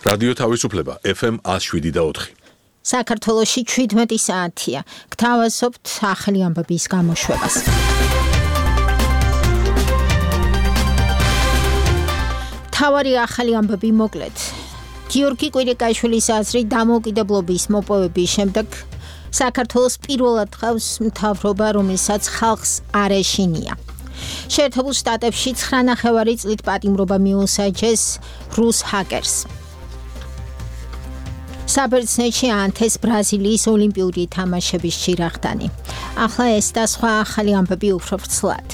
რადიო თავისუფლება FM 107.4. საქართველოში 17 საათია. გთავაზობთ ახალი ამბების გამოშვებას. თავარი ახალი ამბები მოკლედ. გიორგი კვირიკაშვილის აზრით დამოუკიდებლობის მოპოვების შემდეგ საქართველოს პირველად ხავს მთავრობა, რომელსაც ხალხს არ ეშინია. შეერთებულ შტატებში 9.5 წლით პატიმრობა მიუსაჯეს რუს ჰაკერს. საბერძნეთში ანთეს ბრაზილიის ოლიმპიური თამაშების ჩირაღდანი. ახლა ეს და სხვა ახალი ამბები უფრო ვრცლად.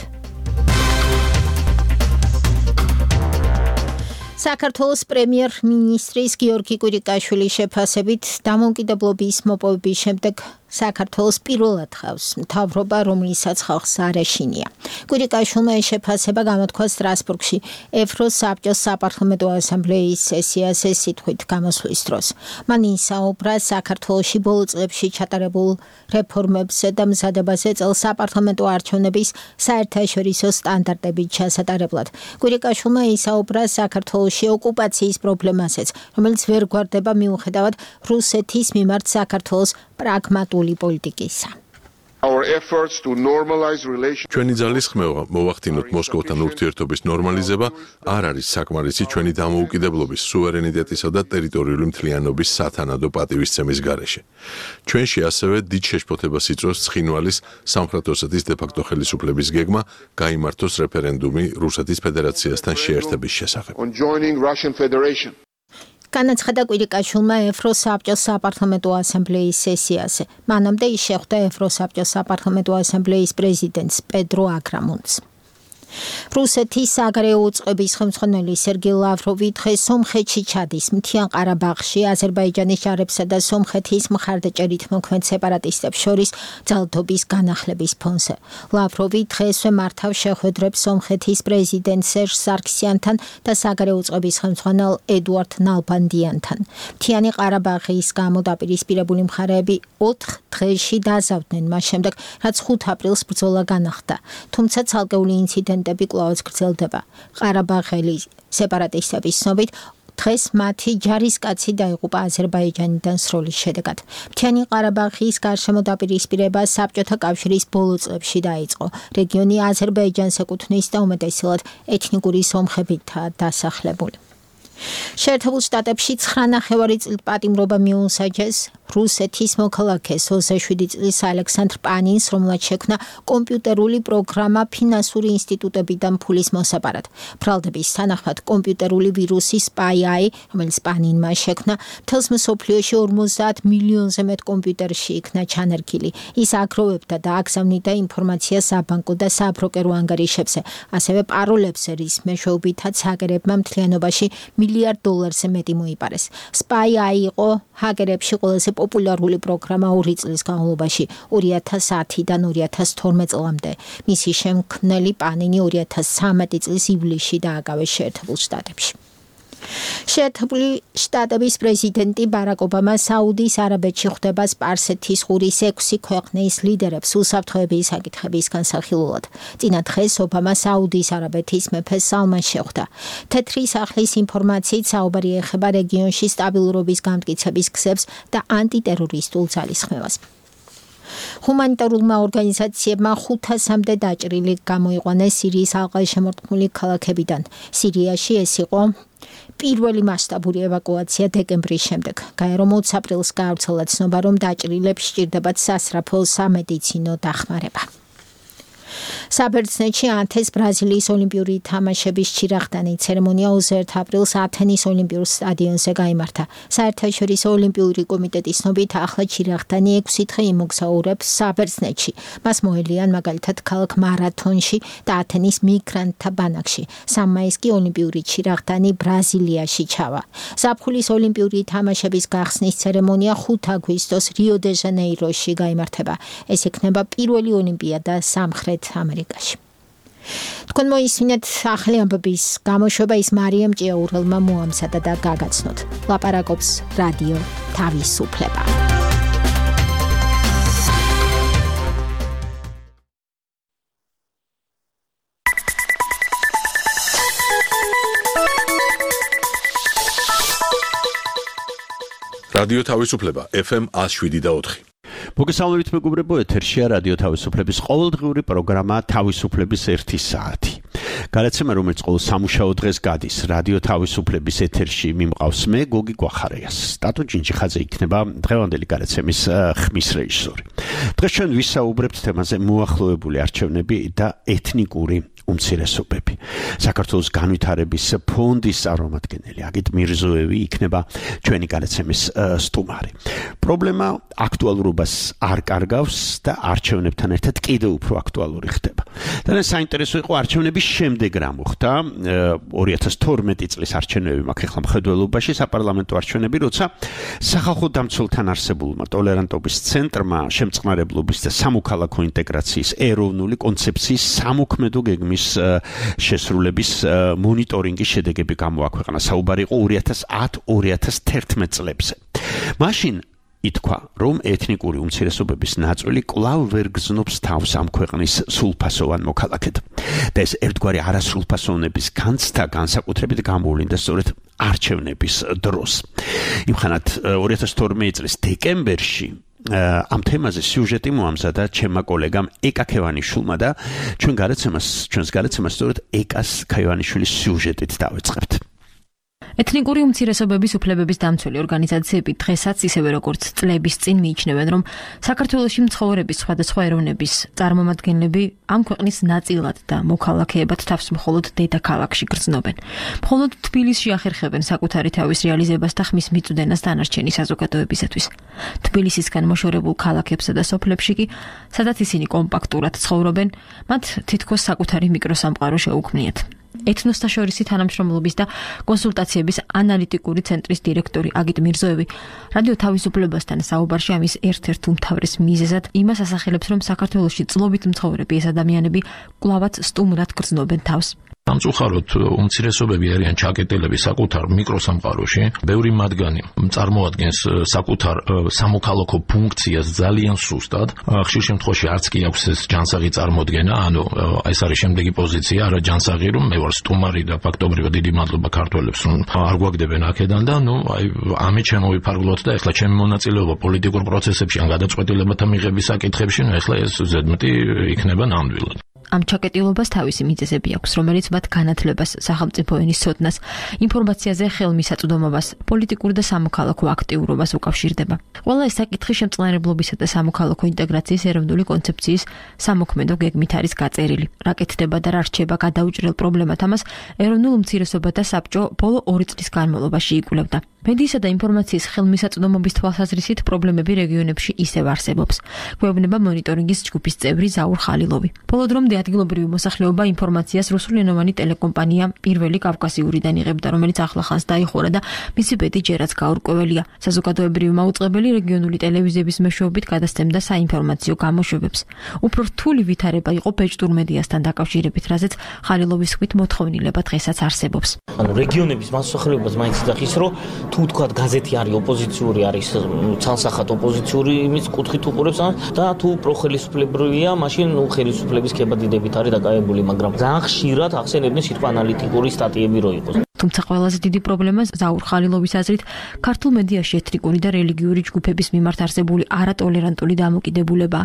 საქართველოს პრემიერ-მინისტრის გიორგი კვირიკაშვილის შეფასებით დამოუკიდებლობის მოპოვების შემდეგ საქართველოს პირველად ხავს მთავრობა, რომელსაც ხალხს არ ეშინია. კვირიკაშვილმა ეს შეფასება გამოთქვა სტრასბურგში ევროს საბჭოს საპარლამენტო ასამბლეის სესიაზე სიტყვით გამოსვლის დროს. მან ისაუბრა საქართველოში ბოლო წლებში ჩატარებულ რეფორმებზე და მზადებაზე წელს საპარლამენტო არჩევნების საერთაშორისო სტანდარტებით ჩასატარებლად. კვირიკაშვილმა ისაუბრა საქართველოში ოკუპაციის პრობლემაზეც, რომელიც ვერ გვარდება მიუხედავად რუსეთის მიმართ საქართველოს პრაგმატული პოლიტიკისა. ჩვენი ძალის ხმევა მოვახდინოთ მოსკოვთან ურთიერთობის ნორმალიზება არ არის საკმარისი ჩვენი დამოუკიდებლობის, სუვერენიტეტისა და ტერიტორიული მთლიანობის სათანადო პატივისცემის გარეშე. ჩვენში ასევე დიდ შეშფოთებას იწვევს ცხინვალის სამხრეთ ოსეთის დე-ფაქტო ხელისუფლების გეგმა გაიმართოს რეფერენდუმი რუსეთის ფედერაციასთან შეერთების შესახებ. განაცხადა კვირიკაშვილმა ევროსაბჭოს საპარლამენტო ასამბლეის სესიაზე. მანამდე ის შეხვდა ევროსაბჭოს საპარლამენტო ასამბლეის პრეზიდენტს პედრო აგრამუნს. რუსეთის საგარეო უწყების ხელმძღვანელი სერგეი ლავროვი დღეს სომხეთში ჩადის მთიან ყარაბაღში აზერბაიჯანის ჯარებსა და სომხეთის მხარდაჭერით მოქმედ სეპარატისტებს შორის ძალადობის განახლების ფონზე. ლავროვი დღესვე მართავს შეხვედრებს სომხეთის პრეზიდენტ სერჟ სარქსიანთან და საგარეო უწყების ხელმძღვანელ ედუარდ ნალბანდიანთან. მთიანი ყარაბაღის გამო დაპირისპირებული მხარეები 4 დღეში დაზავდნენ მას შემდეგ, რაც 5 აპრილს ბრძოლა განახლდა. თუმცა ცალკეული ინციდენტები კვლავაც გრძელდება. ყარაბაღელი სეპარატისტების ცნობით დღეს მათი ჯარისკაცი დაიღუპა აზერბაიჯანიდან სროლის შედეგად. მთიანი ყარაბაღის გარშემო დაპირისპირება საბჭოთა კავშირის ბოლო წლებში დაიწყო. რეგიონი აზერბაიჯანს ეკუთვნის და უმეტესად ეთნიკური სომხებითაა დასახლებული. შეერთებულ შტატებში 9.5 წლით პატიმრობა მიუსაჯეს რუსეთის მოქალაქეს 27 წლის ალექსანდრ პანინს, რომელმაც შექმნა კომპიუტერული პროგრამა ფინანსური ინსტიტუტებიდან ფულის მოსაპარად. ბრალდების თანახმად კომპიუტერული ვირუსი SpyEye, რომელიც პანინმა შექმნა, მთელს მსოფლიოში 50 მილიონზე მეტ კომპიუტერში იქნა ჩანერგილი. ის აგროვებდა და აგზავნიდა ინფორმაციას საბანკო და საბროკერო ანგარიშებზე, ასევე პაროლებზე, რის მეშვეობითაც ჰაკერებმა მთლიანობაში $1 მილიარდ მეტი მოიპარეს. SpyEye იყო ჰაკერებში ყველაზე პოპულარული პროგრამა 2 წლის განმავლობაში 2010-დან 2012 წლამდე. მისი შემქმნელი პანინი 2013 წლის ივლისში დააკავეს შეერთებულ შტატებში. შეერთებული შტატების პრეზიდენტი ბარაკ ობამა საუდის არაბეთში ხვდება სპარსეთის ყურის 6 ქვეყნის ლიდერებს უსაფრთხოების საკითხების განსახილველად. წინა დღეს ობამა საუდის არაბეთის მეფეს სალმანს შეხვდა. თეთრი სახლის ინფორმაციით საუბარი ეხება რეგიონში სტაბილურობის გამტკიცების გზებს და ანტიტერორისტულ ძალისხმევას. ჰუმანიტარულმა ორგანიზაციებმა 500-მდე დაჭრილი გამოიყვანეს სირიის ალყაშემორტყმული ქალაქებიდან. სირიაში ეს იყო პირველი მასშტაბური ევაკუაცია დეკემბრის შემდეგ. გაერო 20 აპრილს გაავრცელა ცნობა, რომ დაჭრილებს სჭირდებათ სასწრაფო სამედიცინო დახმარება. საბერძნეთში ანთეს ბრაზილიის ოლიმპიური თამაშების ჩირაღდანი. ცერემონია 21 აპრილს ათენის ოლიმპიურ სტადიონზე გაიმართა. საერთაშორისო ოლიმპიური კომიტეტის ცნობით ახლა ჩირაღდანი 6 დღე იმოგზაურებს საბერძნეთში. მას მოელიან მაგალითად ქალაქ მარათონში და ათენის მიგრანტთა ბანაკში. 3 მაისს კი ოლიმპიური ჩირაღდანი ბრაზილიაში ჩავა. ზაფხულის ოლიმპიური თამაშების გახსნის ცერემონია 5 აგვისტოს რიო-დე-ჟანეიროში გაიმართება. ეს იქნება პირველი ოლიმპიადა სამხრეთ ამერიკაში. თქვენ მოისმინეთ ახალი ამბების გამოშვება, ის მარიამ ჭიაურელმა მოამზადა და გაგაცნოთ. ლაპარაკობს რადიო თავისუფლება. რადიო თავისუფლება FM 107.4. მოგესალმებით მეგობრებო, ეთერშია რადიო თავისუფლების ყოველდღიური პროგრამა თავისუფლების 1 საათი. გადაცემა, რომელიც ყოველ სამუშაო დღეს გადის რადიო თავისუფლების ეთერში, მიმყავს მე გოგი გვახარიას. სტატო ჯინჯიხაძე იქნება დღევანდელი გადაცემის ხმის რეჟისორი. დღეს ჩვენ ვისაუბრებთ თემაზე მოახლოებული არჩევნები და ეთნიკური უმცირესობები. საქართველოს განვითარების ფონდის წარმომადგენელი აგიტ მირზოევი იქნება ჩვენი გადაცემის სტუმარი. პრობლემა აქტუალურობას არ კარგავს და არჩევნებთან ერთად კიდევ უფრო აქტუალური ხდება. და საინტერესო იყო არჩევნების შემდეგ რა მოხდა. 2012 წლის არჩევნები მაქვს ახლა მხედველობაში, საპარლამენტო არჩევნები, როცა სახალხო დამცველთან არსებულმა ტოლერანტობის ცენტრმა შემწყნარებლობის და სამოქალაქო ინტეგრაციის ეროვნული კონცეფციის სამოქმედო გეგმის შესრულების მონიტორინგის შედეგები გამოაქვეყნა. საუბარი იყო 2010-2011 წლებზე. მაშინ ითქვა, რომ ეთნიკური უმცირესობების ნაწილი კვლავ ვერ გზნობს თავს ამ ქვეყნის სრულფასოვან მოქალაქედ. და ეს ერთგვარი არასრულფასოვნების განცდა განსაკუთრებით გამოვლინდა სწორედ არჩევნების დროს. იმხანად 2012 წლის დეკემბერში ამ თემაზე სიუჟეტი მოამზადა ჩემმა კოლეგამ ეკა ქევანიშვილმა და ჩვენს გადაცემას სწორედ ეკას ქევანიშვილის სიუჟეტით დავეწყებთ. ეთნიკური უმცირესობების უფლებების დამცველი ორგანიზაციები დღესაც ისევე როგორც წლების წინ მიიჩნევენ, რომ საქართველოში მცხოვრების სხვადასხვა ეროვნების წარმომადგენლები ამ ქვეყნის ნაწილად და მოქალაქეებად თავს მხოლოდ დედაქალაქში გრძნობენ. მხოლოდ თბილისში ახერხებენ საკუთარი თავის რეალიზებას და ხმის მიწვდენას დანარჩენი საზოგადოებისათვის. თბილისისგან მოშორებულ ქალაქებსა და სოფლებში კი, სადაც ისინი კომპაქტურად ცხოვრობენ, მათ თითქოს საკუთარი მიკროსამყარო შეუქმნიათ. ეთნოსთაშორისი თანამშრომლობის და კონსულტაციების ანალიტიკური ცენტრის დირექტორი აგიტ მირზოევი რადიო თავისუფლებასთან საუბარში ამის ერთ-ერთ უმთავრეს მიზეზად იმას ასახელებს, რომ საქართველოში წლობით მცხოვრები ეს ადამიანები კვლავაც სტუმრად გრძნობენ თავს. სამწუხაროდ უმცირესობები არიან ჩაკეტილები საკუთარ მიკროსამყაროში. ბევრი მათგანი წარმოადგენს საკუთარ სამოქალაქო ფუნქციას ძალიან სუსტად. ხშირ შემთხვევაში არც კი აქვს ეს ჯანსაღი წარმოდგენა, ანუ ეს არის შემდეგი პოზიცია, არა ჯანსაღი, რომ მე ვარ სტუმარი და ფაქტობრივად დიდი მადლობა ქართველებს, რომ არ გვაგდებენ აქედან და ამით შემოვიფარგლოთ და ეხლა ჩემი მონაწილეობა პოლიტიკურ პროცესებში ან გადაწყვეტილებათა მიღების საკითხებში, ეხლა ეს ზედმეტი იქნება ნამდვილად. ამ ჩაკეტილობას თავისი მიზეზები აქვს, რომელიც მათ განათლებას, სახელმწიფო ენის ცოდნას, ინფორმაციაზე ხელმისაწვდომობას, პოლიტიკურ და სამოქალაქო აქტიურობას უკავშირდება. ყველა ეს საკითხი შემწყნარებლობისა და სამოქალაქო ინტეგრაციის ეროვნული კონცეფციის სამოქმედო გეგმით არის გაწერილი. რა კეთდება და რა რჩება გადაუჭრელ პრობლემად, ამას ეროვნულ უმცირესობათა საბჭო ბოლო 2 წლის განმავლობაში იკვლევდა. მედიისა და ინფორმაციის ხელმისაწვდომობის თვალსაზრისით პრობლემები რეგიონებში ისევ არსებობს. გვეუბნება მონიტორინგის ჯგუფის წევრი ზაურ ხალილოვი. ბოლო დრომდე ადგილობრივი მოსახლეობა ინფორმაციას რუსულენოვანი ტელეკომპანია პირველი კავკასიურიდან იღებდა, რომელიც ახლახანს დაიხურა და მისი ბედი ჯერაც გაურკვეველია. საზოგადოებრივი მაუწყებელი რეგიონული ტელევიზიების მეშვეობით გადასცემდა საინფორმაციო გამოშვებებს. უფრო რთული ვითარება იყო ბეჭდურ მედიასთან დაკავშირებით, რაზეც ხალილოვის თქმით მოთხოვნილება დღესაც არსებობს. რეგიონების მოსახლეობას მაინც იცის, რომ თუ თქვა გაზეთი არის ოპოზიციური, არის ცალსახად ოპოზიციური იმის კუთხით უყურებს და თუ პროხელისუფლებრივია, მაშინ ხელისუფლების ქებადიდებით არის დაკავებული, მაგრამ ძალიან ხშირად ახსენებდნენ სიტყვა ანალიტიკური სტატიები რო იყოს. თუმცა ყველაზე დიდი პრობლემა ზაურ ხალილოვის აზრით ქართულ მედიაში ეთნიკური და რელიგიური ჯგუფების მიმართ არსებული არატოლერანტული დამოკიდებულება.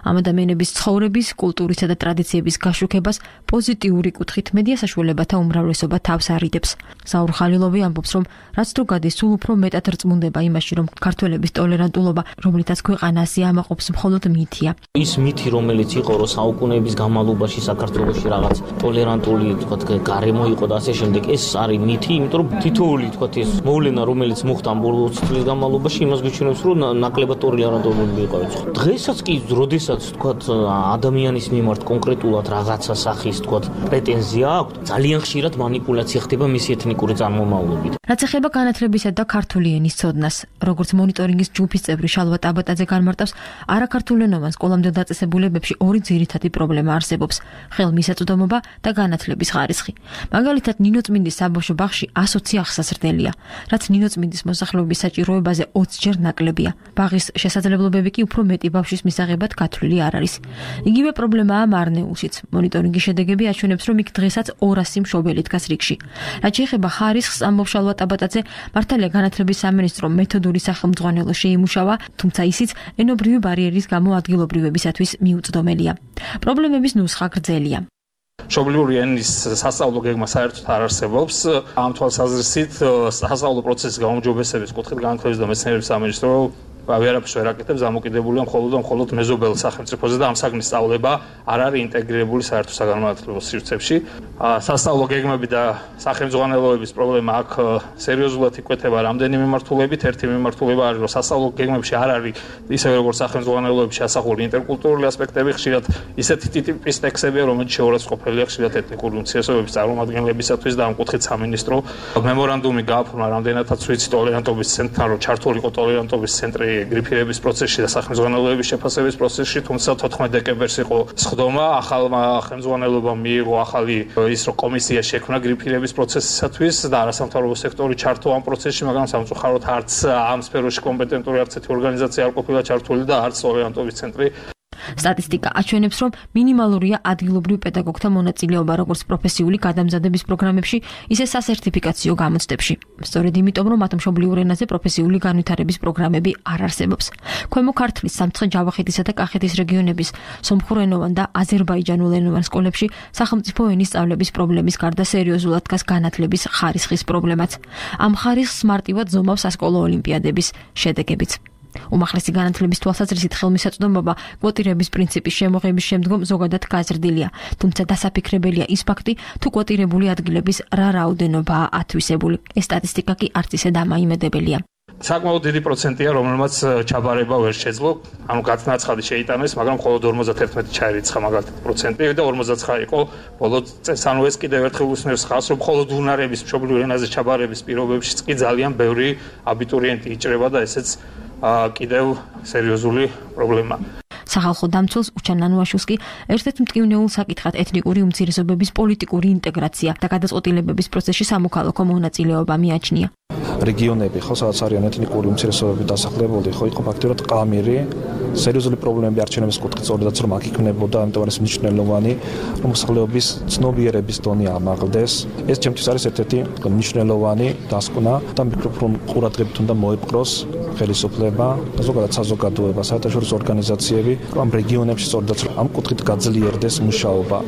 ამ ადამიანების ცხოვრების, კულტურისა და ტრადიციების გაშუქებას პოზიტიური კუთხით მედია საშუალებათა უმრავლესობა თავს არიდებს. ზაურ ხალილოვი ამბობს, რომ რაც თუ გადის, სულ უფრო მეტად რწმუნდება იმაში, რომ ქართველების ტოლერანტულობა, რომლითაც ქვეყანა ასე ამაყობს, მხოლოდ მითია. ის მითი, რომელიც იყო, რომ საუკუნეების განმავლობაში საქართველოში რაღაც ტოლერანტული, თქვა, გარემო იყო და ასე შემდეგ, ეს არის მითი, იმიტომ რომ თითოეული, თქვა, ეს მოვლენა, რომელიც მოხდა ბოლო 20 წლის განმავლობაში, იმას გვიჩვენებს, რომ ნაკლებად ტოლერანტული იყო. დღესაც კი, როდესაც, თქვა, ადამიანის მიმართ კონკრეტულად რაღაცა სახის, თქვა, პრეტენზია აქვს, ძალიან ხშირად манипуляცია ხდება მისი ეთნიკური წარმომავლობით. რაც ეხება განათლებისა და ქართული ენის ცოდნას, როგორც მონიტორინგის ჯგუფის წევრი შალვა ტაბატაძე განმარტავს, არაქართულენოვან სკოლამდელ დაწესებულებებში ორი ძირითადი პრობლემა არსებობს: ხელმისაწვდომობა და განათლების ხარისხი. მაგალითად, ნინო წმინდის საბავშვო საბავშვო ბაღში 120 აღსაზრდელია, რაც ნინოწმინდის მოსახლეობის საჭიროებაზე 20 ჯერ ნაკლებია. ბაღის შესაძლებლობები კი უფრო მეტი ბავშვის მისაღებად გათვლილი არ არის. იგივე პრობლემაა მარნეულშიც. მონიტორინგის შედეგები აჩვენებს, რომ იქ დღესაც 200 მშობელი დგას რიგში. რაც შეეხება ხარისხს, ამბობს შალვა ტაბატაძე, მართალია განათლების სამინისტრომ მეთოდური სახელმძღვანელო შეიმუშავა, თუმცა ისიც ენობრივი ბარიერის გამო ადგილობრივებისათვის მიუწვდომელია. პრობლემების ნუსხა გრძელია. მშობლიური ენის სასწავლო გეგმა საერთოდ არ არსებობს. ამ თვალსაზრისით სასწავლო პროცესის გაუმჯობესების კუთხით განათლების და მეცნიერების სამინისტრო ვერაფერს ვერ აკეთებს, დამოკიდებულია მხოლოდ მეზობელ სახელმწიფოზე და ამ საგნის სწავლება არ არის ინტეგრირებული საერთო საგანმანათლებლო სივრცეებში. სასწავლო გეგმები და სახელმძღვანელოების პრობლემა აქ სერიოზულად იკვეთება რამდენი მიმართულებით. ერთი მიმართულება არის, რომ სასწავლო გეგმებში არ არის ისევე როგორც სახელმძღვანელოებში ასახული ინტერკულტურული ასპექტები, ხშირად ისეთი ტიპის ტექსტებია, რომელიც შეურაცხყოფელია ხშირად ეთნიკური უმცირესობების წარმომადგენლებისათვის და ამ კუთხით სამინისტრო მემორანდუმი გააფორმა, რამდენადაც ვიცი, ტოლერანტობის ცენტრთან, რომ ჩართული იყო ტოლერანტობის ცენტრი გრიფირების პროცესში და სახელმძღვანელოების შეფასების პროცესში, თუმცა 14 დეკემბერს იყო სხდომა, ახალმა ხელმძღვანელობამ მიიღო ახალი ის რომ კომისია შექმნა გრიფირების პროცესისათვის და არასამთავრობო სექტორი ჩართო ამ პროცესში, მაგრამ სამწუხაროდ არც ამ სფეროში კომპეტენტური არც ერთი ორგანიზაცია არ ყოფილა ჩართული და არც ტოლერანტობის ცენტრი. სტატისტიკა აჩვენებს, რომ მინიმალურია ადგილობრივ პედაგოგთა მონაწილეობა როგორც პროფესიული გადამზადების პროგრამებში, ისე სასერტიფიკაციო გამოცდებში. სწორედ იმიტომ, რომ მათ მშობლიურ ენაზე პროფესიული განვითარების პროგრამები არ არსებობს. ქვემო ქართლის, სამცხე-ჯავახეთისა და კახეთის რეგიონების სომხურენოვან და აზერბაიჯანულენოვან სკოლებში სახელმწიფო ენის სწავლების პრობლემის გარდა სერიოზულად დგას განათლების ხარისხის პრობლემაც. ამ ხარისხს მარტივად ზომავს სასკოლო ოლიმპიადების შედეგებიც. უმაღლესი განათლების თვალსაზრისით ხელმისაწვდომობა კვოტირების პრინციპის შემოღების შემდგომ ზოგადად გაზრდილია, თუმცა დასაფიქრებელია ის ფაქტი, თუ კვოტირებული ადგილების რა რაოდენობაა ათვისებული. ეს სტატისტიკა კი არც ისე დამაიმედებელია. საკმაოდ დიდი პროცენტია, რომელმაც ჩაბარება ვერ შეძლო, ანუ გაწნაცხადი შეიტანეს, მაგრამ მხოლოდ 51 ჩაერიცხა მაგალითად პროცენტი და 59 იყო ბოლო წელს. ანუ ეს კიდევ ერთხელ უსმენს ხაზს, რომ მხოლოდ უნარების მშობლიურ ენაზე ჩაბარების პირობებშიც კი ძალიან ბევრი აბიტურიენტი იჭრება და ესეც კიდევ სერიოზული პრობლემა. სახალხო დამცველს უჩან ნანუაშვილს კი ერთ-ერთ მტკივნეულ საკითხად ეთნიკური უმცირესობების პოლიტიკური ინტეგრაცია და გადაწყვეტილებების პროცესში სამოქალაქო მონაწილეობა მიაჩნია. რეგიონები, ხო, სადაც არიან ეთნიკური უმცირესობები დასახლებული, ხო, იყო ფაქტიურად ყამირი, სერიოზული პრობლემები არჩევნების კუთხით, სწორედაც რომ აქ იქნებოდა, ამიტომ არის მნიშვნელოვანი, რომ მოსახლეობის ცნობიერების დონე ამაღლდეს. ეს ჩემთვის არის ერთ-ერთი მნიშვნელოვანი დასკვნა და ვფიქრობ, რომ ყურადღებით უნდა მოიპყროს ხელისუფლება, ზოგადად საზოგადოება, საერთაშორისო ორგანიზაციები, რომ ამ რეგიონებში სწორედაც ამ კუთხით გაძლიერდეს მუშაობა.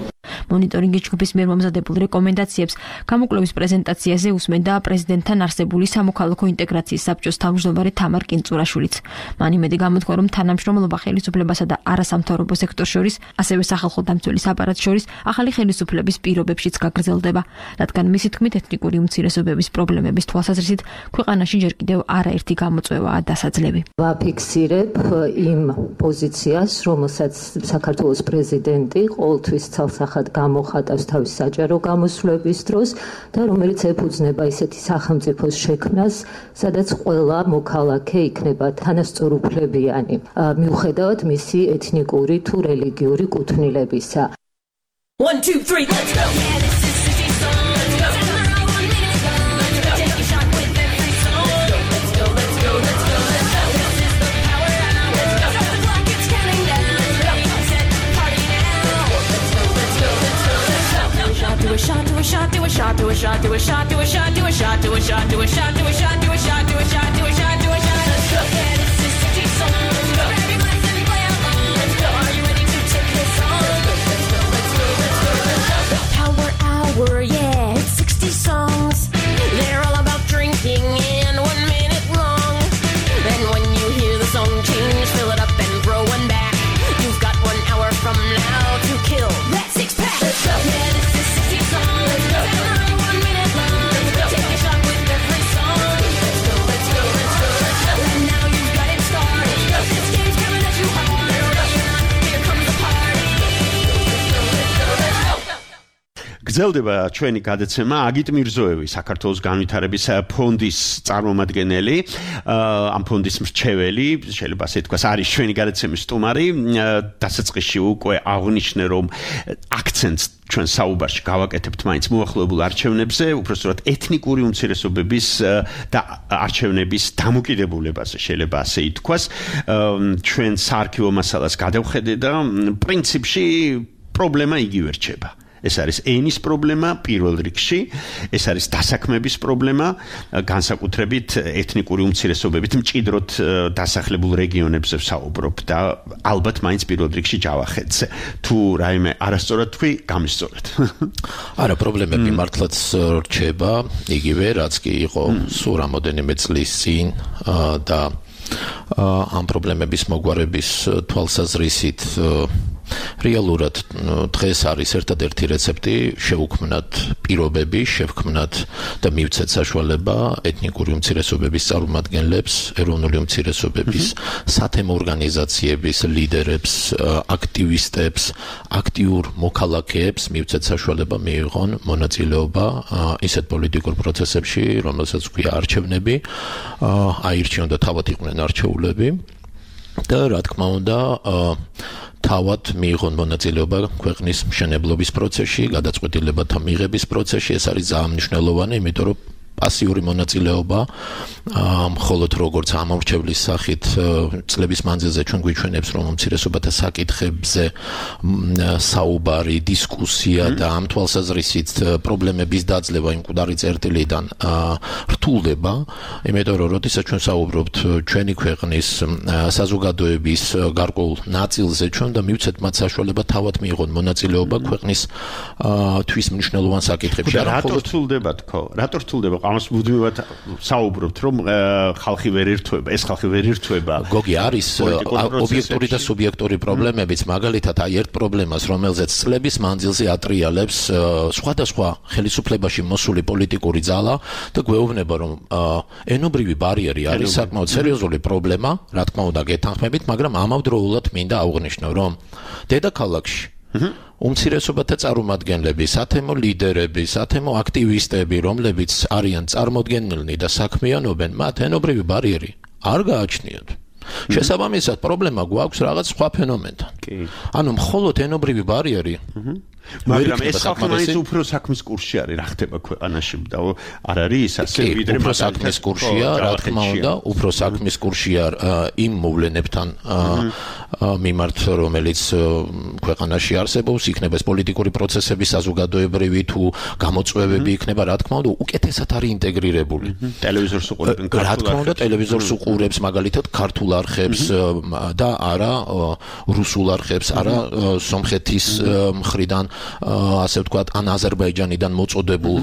მონიტორინგის ჯგუფის მიერ მომზადებულ რეკომენდაციებს გამოკვლევის პრეზენტაციაზე უსმენდა პრეზიდენტთან არსებული სამოქალაქო ინტეგრაციის საბჭოს თავმჯდომარე თამარ კინწურაშვილიც. მან იმედი გამოთქვა, რომ თანამშრომლობა ხელისუფლებასა და არასამთავრობო სექტორს შორის, ასევე სახალხო დამცველის აპარატს შორის ახალი ხელისუფლების პირობებშიც გაგრძელდება, რადგან მისი თქმით ეთნიკური უმცირესობების პრობლემების თვალსაზრისით ქვეყანაში ჯერ კიდევ არაერთი გამოწვევაა დასაძლები. ვაფიქსირებ იმ პოზიციას, რომელსაც საქართველოს პრეზიდენტი ყოველთვის ცალსახად გამოხატავს თავის საჯარო გამოსვლების დროს და რომელიც ეფუძნება ისეთი სახელმწიფოს შექმნას, სადაც ყველა მოქალაქე იქნება თანასწორუფლებიანი, მიუხედავად მისი ეთნიკური თუ რელიგიური კუთვნილებისა. 1 2 3 let's go. Do a shot, do a shot, do a shot, do a shot, do a shot, do a shot, do a shot, do a shot, do a shot, do a shot, do a shot, do a shot, do a shot, do a shot. Let's go. Yeah, this is 60 song. Grab your glass and play along. Let's go. Are you ready to take this on? Let's go, let's go, let's go, let's go. Power hour, yeah, it's 60 songs. They're all about drinking and 1 minute long. Then when you hear the song change, fill it up and throw one back. You've got 1 hour from now to kill that 6-pack. Let's go. Yeah, this is 60 songs. Let's go. 1 minute long. Let's go. Take a shot with every song. Let's go, let's go, let's go, let's go. And now you've got it started. This game's coming at you hard. Here comes the party. Let's go, let's go, let's go. გრძელდება ჩვენი გადაცემა აგით მირზოევი საქართველოს განვითარების ფონდის წარმომადგენელი ამ ფონდის მრჩეველი შეიძლება ასე თქვას არის ჩვენი გადაცემის სტუმარი დასაწყისში უკვე აღნიშნე რომ აქცენტს ჩვენ საუბარში გავაკეთებთ მაინც მოახლოებულ არჩევნებზე უпростоრად ეთნიკური უმცირესობების და არჩევნების დამოკიდებულებაზე შეიძლება ასე ითქვას ჩვენ საარქივო მასალას გადავხედე და პრინციპში პრობლემა იგივე რჩება ეს არის ენის პრობლემა პირველ რიგში ეს არის დასაქმების პრობლემა განსაკუთრებით ეთნიკური უმცირესობებით მჭიდროდ დასახლებულ რეგიონებზე ვსაუბრობ და ალბათ მაინც პირველ რიგში ჯავახეთზე თუ რაიმე არასწორად თქვი გამისწორეთ არა პრობლემები მართლაც რჩება იგივე რაც კი იყო სულ რამოდენიმე წლის წინ და ამ პრობლემების მოგვარების თვალსაზრისით რეალურად დღეს არის ერთადერთი რეცეპტი შევუქმნათ პირობები, შევქმნათ და მივცეთ საშუალება ეთნიკური უმცირესობების წარმომადგენლებს, ეროვნული უმცირესობების სათემო ორგანიზაციების ლიდერებს, აქტივისტებს, აქტიურ მოქალაქეებს მივცეთ საშუალება მიიღონ მონაწილეობა ისეთ პოლიტიკურ პროცესებში, რომელსაც ქვია არჩევნები, აირჩიონ და თავად იყვნენ არჩეულები და რა თქმა უნდა თავად მიიღონ მონაწილეობა ქვეყნის მშენებლობის პროცესში, გადაწყვეტილებათა მიღების პროცესში, ეს არის ძალიან მნიშვნელოვანი, იმიტომ რომ პასიური მონაწილეობა მხოლოდ როგორც ამორჩევლის სახით წლების მანძილზე ჩვენ გვიჩვენებს რომ უმცირესობათა საკითხებზე საუბარი, დისკუსია და ამ თვალსაზრისით პრობლემების დაძლევა იმ მკვდარი წერტილიდან რთულდება, იმიტომ რომ როდესაც ჩვენ საუბრობთ ჩვენი ქვეყნის საზოგადოების გარკვეულ ნაწილზე ჩვენ და მივცეთ მათ საშუალება თავად მიიღონ მონაწილეობა ქვეყნის თვის მნიშვნელოვან საკითხებში. რატო რთულდება თქო? რატო რთულდება? ამას მუდმივად საუბრობთ რომ ხალხი ვერ ერთვება, ეს ხალხი ვერ ერთვება. გოგი არის ობიექტური და სუბიექტური პრობლემებიც, მაგალითად აი ერთ პრობლემას, რომელზეც წლების მანძილზე ატრიალებს სხვადასხვა ხელისუფლებაში მოსული პოლიტიკური ძალა და გვეუბნება რომ ენობრივი ბარიერი არის საკმაოდ სერიოზული პრობლემა, რა თქმა უნდა გეთანხმებით, მაგრამ ამავდროულად მინდა აღვნიშნო რომ დედაქალაქში უმცირესობათა წარმომადგენლები, სათემო ლიდერები, სათემო აქტივისტები, რომლებიც არიან წარმოდგენილნი და საქმიანობენ, მათ ენობრივი ბარიერი არ გააჩნიათ. შესაბამისად, პრობლემა გვაქვს რაღაც სხვა ფენომენთან. ანუ მხოლოდ ენობრივი ბარიერი მაგრამ ეს ხალხი მაინც უფრო საქმის კურსში არის, რა ხდება ქვეყანაში და არ არის ასე ვიდრე უფრო საქმის კურსშია, რა თქმა უნდა, უფრო საქმის კურსშია იმ მოვლენებთან მიმართ, რომელიც ქვეყანაში არსებობს, იქნება ეს პოლიტიკური პროცესები, საზოგადოებრივი თუ გამოწვევები იქნება, რა თქმა უნდა, უკეთესად არის ინტეგრირებული. ტელევიზორს უყურებენ ქართულ რა თქმა უნდა, ტელევიზორს უყურებს მაგალითად ქართულ არხებს და არა რუსულ არხებს, არა სომხეთის მხრიდან ასე ვთქვათ, ან აზერბაიჯანიდან მოწოდებულ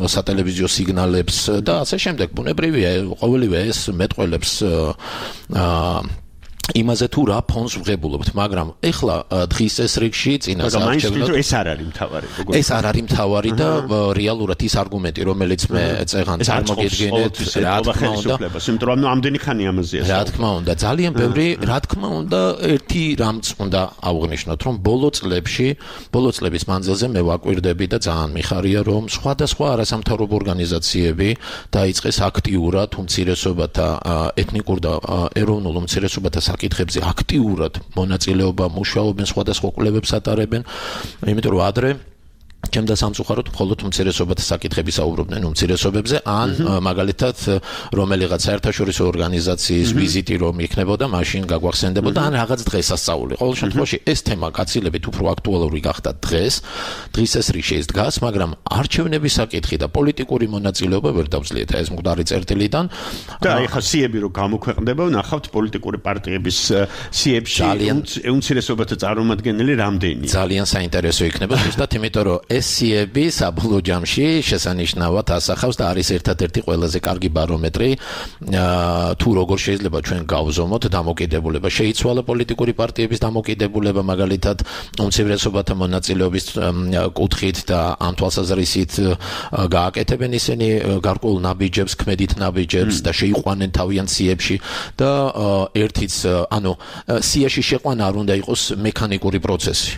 სატელევიზიო სიგნალებს და ასე შემდეგ. ბუნებრივია, ყოველივე ეს მეტყველებს იმაზე თუ რა ფონს ვღებულობთ, მაგრამ ეხლა დღის ეს რიგში წინას არჩევნად ეს არ არის მთავარი. ეს არ არის მთავარი და რეალურად ის არგუმენტი, რომელიც მე წეღან წარმოგიდგენთ, რა თქმა უნდა, იმიტომ რომ ამდენი ხანი ამაზეა. რა თქმა უნდა, ძალიან ბევრი, რა თქმა უნდა, ერთი რამც უნდა აღვნიშნოთ, რომ ბოლო წლების მანძილზე მე ვაკვირდები და ძალიან მიხარია, რომ სხვადასხვა არასამთავრობო ორგანიზაციები დაიწყეს აქტიურად უმცირესობათა ეთნიკურ და ეროვნულ უმცირესობათა საკითხებზე აქტიურად მონაწილეობა მუშაობენ, სხვადასხვა კვლევებს ატარებენ, იმიტომ რომ ადრე ჩემდა სამწუხაროდ მხოლოდ უმცირესობათა საკითხები საუბრობდნენ უმცირესობებზე, ან მაგალითად რომელიღაც საერთაშორისო ორგანიზაციის ვიზიტი რომ იქნებოდა, მაშინ გაგვახსენდებოდა ან რაღაც დღესასწაული. ყოველ შემთხვევაში ეს თემა გაცილებით უფრო აქტუალური გახდა დღეს ეს რიგში ის დგას, მაგრამ არჩევნების საკითხი და პოლიტიკური მონაწილეობა ვერ დავძლიეთ ეს მკვდარი წერტილიდან. და ეხლა სიები რომ გამოქვეყნდება, ნახავთ პოლიტიკური პარტიების სიებში უმცირესობათა წარმომადგენელი რამდენია. ძალიან საინტერესო იქნება ზუსტად იმიტომ რომ ეს სიები საბოლოო ჯამში შესანიშნავად ასახავს და არის ერთადერთი ყველაზე კარგი ბარომეტრი თუ როგორ შეიძლება ჩვენ გავზომოთ დამოკიდებულება. შეიცვალა პოლიტიკური პარტიების დამოკიდებულება, მაგალითად უმცირესობათა მონაწილეობის კუთხით და ამ თვალსაზრისით გააკეთებენ ისინი გარკვეულ ნაბიჯებს, ქმედით ნაბიჯებს და შეიყვანენ თავიანთ სიებში და ერთიც, ანუ სიაში შეყვანა არ უნდა იყოს მექანიკური პროცესი.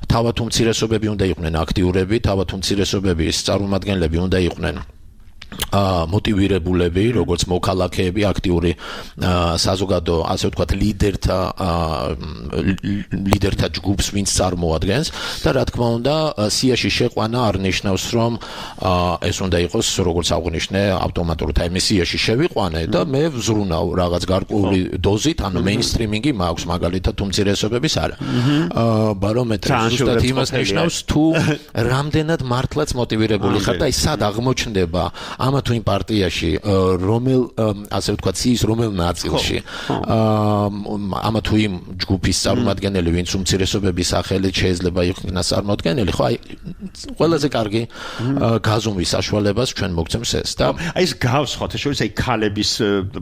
თავად უმცირესობები უნდა იყვნენ აქტიური აქტიურები, თავად უმცირესობების წარმომადგენლები უნდა იყვნენ მოტივირებულები, როგორც მოქალაქეები, აქტიური საზოგადო, ასე ვთქვათ, ლიდერთა ჯგუფს, ვინც წარმოადგენს და რა თქმა უნდა, სიაში შეყვანა არ ნიშნავს, რომ ეს უნდა იყოს, როგორც აღნიშნე, ავტომატურად აი მე სიაში შევიყვანე და მე ვზრუნავ რაღაც გარკვეული დოზით, ანუ მეინსტრიმინგი მაქვს მაგალითად უმცირესობების არა. ბარომეტრი ზუსტად იმას ნიშნავს, თუ რამდენად მართლაც მოტივირებული ხარ და აი სად აღმოჩნდება ამა თუ იმ პარტიაში რომელ ასე ვთქვათ სიის რომელ ნაწილში ამა თუ იმ ჯგუფის წარმომადგენელი ვინც უმცირესობების სახელით შეიძლება იქნას წარმოადგენელი ხო აი ყველაზე კარგი გაზომვის საშუალებას ჩვენ მოგცემს ეს და აი ეს გავს ხო თეშორის აი ქალების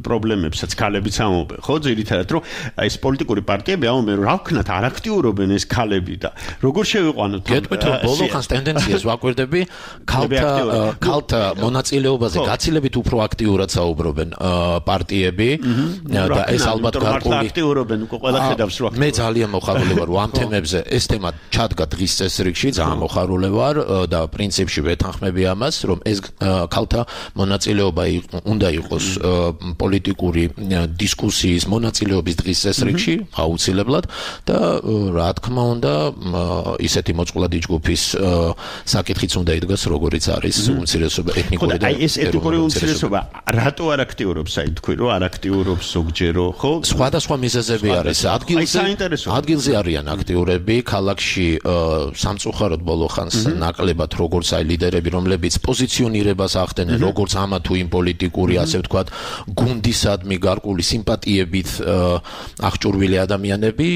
პრობლემებსაც ქალებიც ამობენ ხო ძირითადად რომ აი ეს პოლიტიკური პარტიები ამობენ რომ რა ვქნათ არ აქტიურობენ ეს ქალები და როგორ შევიყვანოთ გეტყვით რომ ბოლო ხანს ტენდენციას ვაკვირდები ქალთა მონაწილეობაზე გაცილებით უფრო აქტიურად საუბრობენ პარტიები და ეს ალბათ გარკვეული აქტიურობენ უკვე ყველა ხედავს რომ მე ძალიან მოხარული ვარ ამ თემებზე ეს თემა ჩადგა დღის წესრიგში ძალიან მოხარული ვარ და პრინციპში ვეთანხმები ამას რომ ეს ქალთა მონაწილეობა უნდა იყოს პოლიტიკური დისკუსიის მონაწილეობის დღის წესრიგში აუცილებლად და რა თქმა უნდა ისეთი მოწყვლადი ჯგუფის საკითხიც უნდა იდგას როგორიც არის უმცირესობა ეთნიკური და ეს ეთნიკური უმცირესობა რატო არ აქტიურობს აი თქვი რომ არ აქტიურობს ზოგჯერო ხო სხვადასხვა მიზეზები არის ადგილზე არიან აქტიურები ქალაქში სამწუხაროდ ბოლო ხანს ნაკლებად როგორც აი ლიდერები რომლებიც პოზიციონირებას ახდენენ როგორც ამა თუ იმ პოლიტიკური ასე ვთქვათ გუნდისადმი გარკვეული სიმპათიებით აღჭურვილი ადამიანები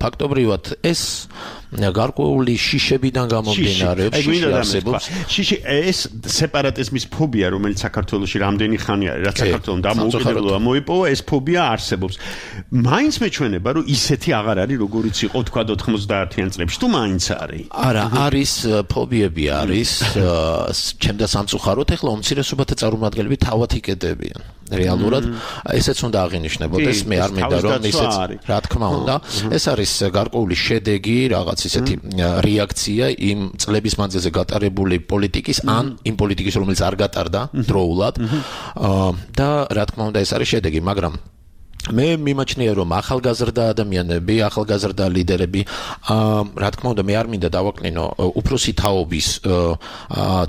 ფაქტობრივად ეს გარკვეული შიშებიდან გამომდინარე შიში ეს სეპარატიზმის ფობია რომელიც საქართველოში რამდენი ხანი არის რაც საქართველოს დამოუკიდებლობა მოიპოვა ეს ფობია არსებობს მაინც მეჩვენება რომ ისეთი აღარ არის როგორიც იყო თქვა 90-იან წლებში თუ მაინც არის არა არის ფობიები არის ჩემდა სამწუხაროდ ეხლა უმცირესობათა წარმომადგენლები თავად იკედებიან რეალურად ესეც უნდა აღინიშნებოდეს მე არ მინდა რომ ისეც რა თქმა უნდა ეს არის გარკვეული შედეგი რაღაც ისეთი რეაქცია იმ წლების მანძილზე გატარებული პოლიტიკის ან იმ პოლიტიკის რომელიც არ გატარდა დროულად და რა თქმა უნდა ეს არის შედეგი მაგრამ მე მიმაჩნია რომ ახალგაზრდა ადამიანები, ახალგაზრდა ლიდერები რა თქმა უნდა მე არ მინდა დავაკნინო უფროსი თაობის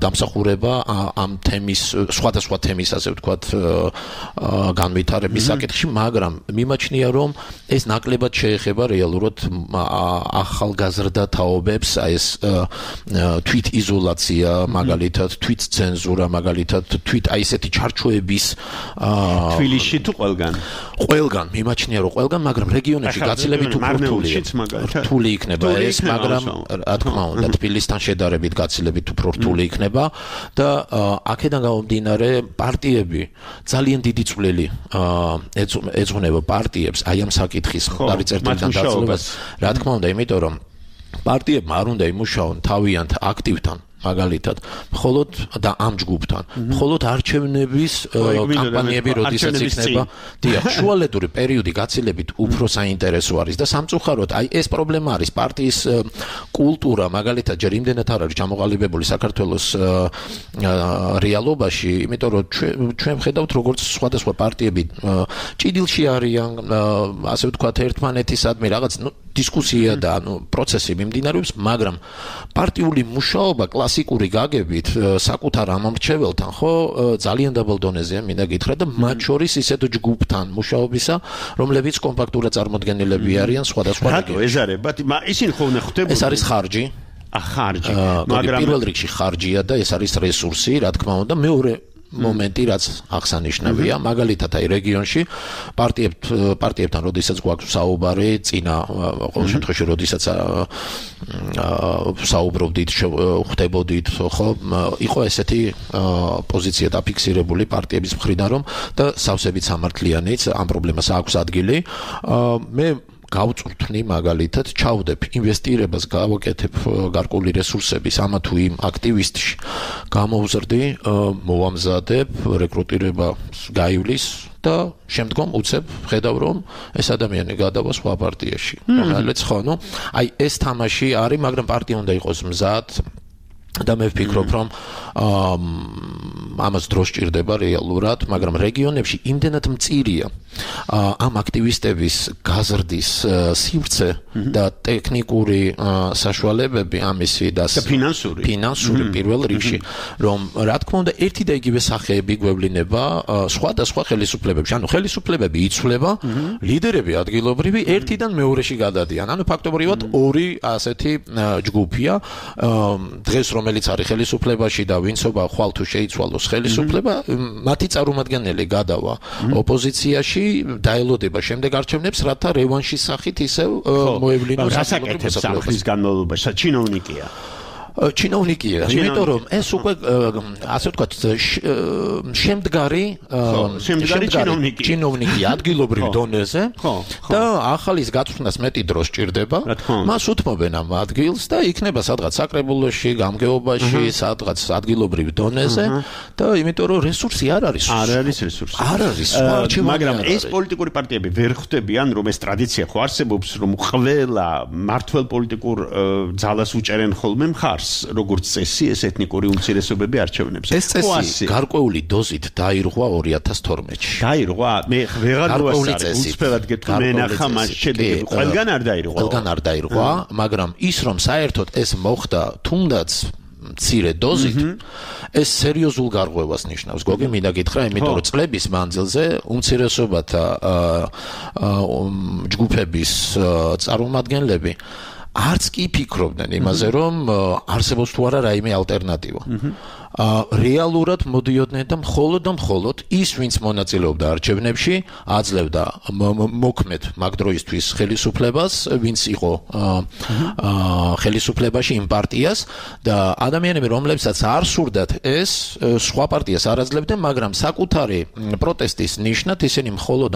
დამსახურება ამ თემის სხვადასხვა თემის ასე ვთქვათ განვითარების საკითხში, მაგრამ მიმაჩნია რომ ეს ნაკლებად შეეხება რეალურად ახალგაზრდა თაობებს, აი ეს თვით იზოლაცია, მაგალითად თვით ცენზურა, მაგალითად თვით აი ესეთი ჩარჩოების თბილისში თუ ყველგან მიმაჩნია რომ ყველგან, მაგრამ რეგიონებში გაცილებით უფრო რთული იქნება ეს, მაგრამ რა თქმა უნდა თბილისთან შედარებით გაცილებით უფრო რთული იქნება და აქედან გამომდინარე პარტიები ძალიან დიდი წვლილი ეძღვნება პარტიებს აი ამ საკითხის დაწესებიდან დაწესებას. რა თქმა უნდა, იმიტომ რომ პარტიებმა არ უნდა იმუშაონ თავიანთ აქტივთან მაგალითად მხოლოდ და ამ ჯგუფთან მხოლოდ არჩევნების კამპანიები როდესაც იქნება შუალედური პერიოდი გაცილებით უფრო საინტერესო არის და სამწუხაროდ აი ეს პრობლემა არის პარტიის კულტურა მაგალითად ჯერ იმდენად არ არის ჩამოყალიბებული საქართველოს რეალობაში იმიტომ რომ ჩვენ ვხედავთ როგორც სხვადასხვა პარტიები ჭიდილში არიან ასე ვთქვათ ერთმანეთისადმი რაღაც დისკუსია და პროცესი მიმდინარეობს მაგრამ პარტიული მუშაობა კლასიკური გაგებით საკუთარ ამომრჩეველთან ხო ძალიან დაბალ დონეზეა მინდა გითხრა და მათ შორის ისეთ ჯგუფთან მუშაობისა რომლებიც კომპაქტურად წარმოდგენილები არიან სხვადასხვა რეგიონებში. ეს არის, ისინი ხო ხდებოდნენ. ეს არის ხარჯი. ხარჯი. მაგრამ პირველ რიგში ხარჯია და ეს არის რესურსი, რა თქმა უნდა, მეორე მომენტი რაც აღსანიშნავია მაგალითად აი რეგიონში პარტიებთან როდესაც გვაქვს საუბარი წინა ყოველ შემთხვევაში როდესაც საუბრობდით ხვდებოდით ხო იყო ესეთი პოზიცია დაფიქსირებული პარტიების მხრიდან რომ და სავსებით სამართლიანიც ამ პრობლემას აქვს ადგილი მე გავწვრთნი მაგალითად ჩავდებ ინვესტირებას გავაკეთებ გარკვეული რესურსების ამა თუ იმ აქტივისტში გამოვზრდი მოვამზადებ რეკრუტირებას გაივლის და შემდგომ უცებ ხედავ რომ ეს ადამიანი გადავა სხვა პარტიაში რომელიც ხო ნუ აი ეს თამაში არის მაგრამ პარტია უნდა იყოს მზად და მე ვფიქრობ, რომ ამას დრო სჭირდება რეალურად, მაგრამ რეგიონებში იმდენად მწირია ამ აქტივისტების გაზრდის სივრცე და ტექნიკური საშუალებები ამისი და ფინანსური პირველ რიგში, რომ რა თქმა უნდა ერთი და იგივე სახეები გვევლინება სხვადასხვა ხელისუფლებებში. ანუ ხელისუფლებები იცვლება, ლიდერები ადგილობრივი ერთიდან მეორეში გადადიან. ანუ ფაქტობრივად ორი ასეთი ჯგუფია, დღეს რომელიც არის ხელისუფლებაში და ვინცობა ხვალ თუ შეიცვალოს ხელისუფლება, მათი წარმომადგენელი გადავა ოპოზიციაში, დაელოდება შემდეგ არჩევნებს, რათა რევანშის სახით ისევ მოევლინოს ასაკეთებს სახლის განმავლობაში, ჩინოვნიკია. ჩინოვნიკია, იმიტომ რომ ეს უკვე ასე ვთქვათ, შემდგარი ჩინოვნიკია ადგილობრივ დონეზე და ახალის გაწვრთნას მეტი დრო სჭირდება. მას უთმობენ ამ ადგილს და იქნება სადღაც საკრებულოში, გამგეობაში, სადღაც ადგილობრივ დონეზე და იმიტომ რომ რესურსი არ არის. არ არის რესურსი. არ არის. მაგრამ ეს პოლიტიკური პარტიები ვერ ხვდებიან, რომ ეს ტრადიცია ხო არსებობს, რომ ყველა მართლ პოლიტიკურ ძალას უჭერენ ხოლმე მხარს. როგორც წესი ეს ეთნიკური უმცირესობები არჩევნებს. ეს წესი გარკვეული დოზით დაირღვა 2012-ში. დაირღვა? მე ვეღარ ვასწავლე. უცბად გეტყვი მე ნახა მას შედეგები. ყველგან არ დაირღვა. ყველგან არ დაირღვა, მაგრამ ის რომ საერთოდ ეს მოხდა თუნდაც მცირე დოზით, ეს სერიოზულ გარღვევას ნიშნავს. გოგი მინდა გითხრა, იმიტომ რომ წლების მანძილზე უმცირესობათა ჯგუფების წარმომადგენლები არც კი ფიქრობდნენ იმაზე, რომ არსებობს თუ არა რაიმე ალტერნატივა. რეალურად მოდიოდნენ და მხოლოდ ის, ვინც მონაწილეობდა არჩევნებში, აძლევდა მოქმედ მაგ დროისთვის ხელისუფლებას, ვინც იყო ხელისუფლებაში იმ პარტიას და ადამიანები, რომლებსაც არ სურდათ ეს, სხვა პარტიას არ აძლევდნენ, მაგრამ საკუთარი პროტესტის ნიშნად ისინი მხოლოდ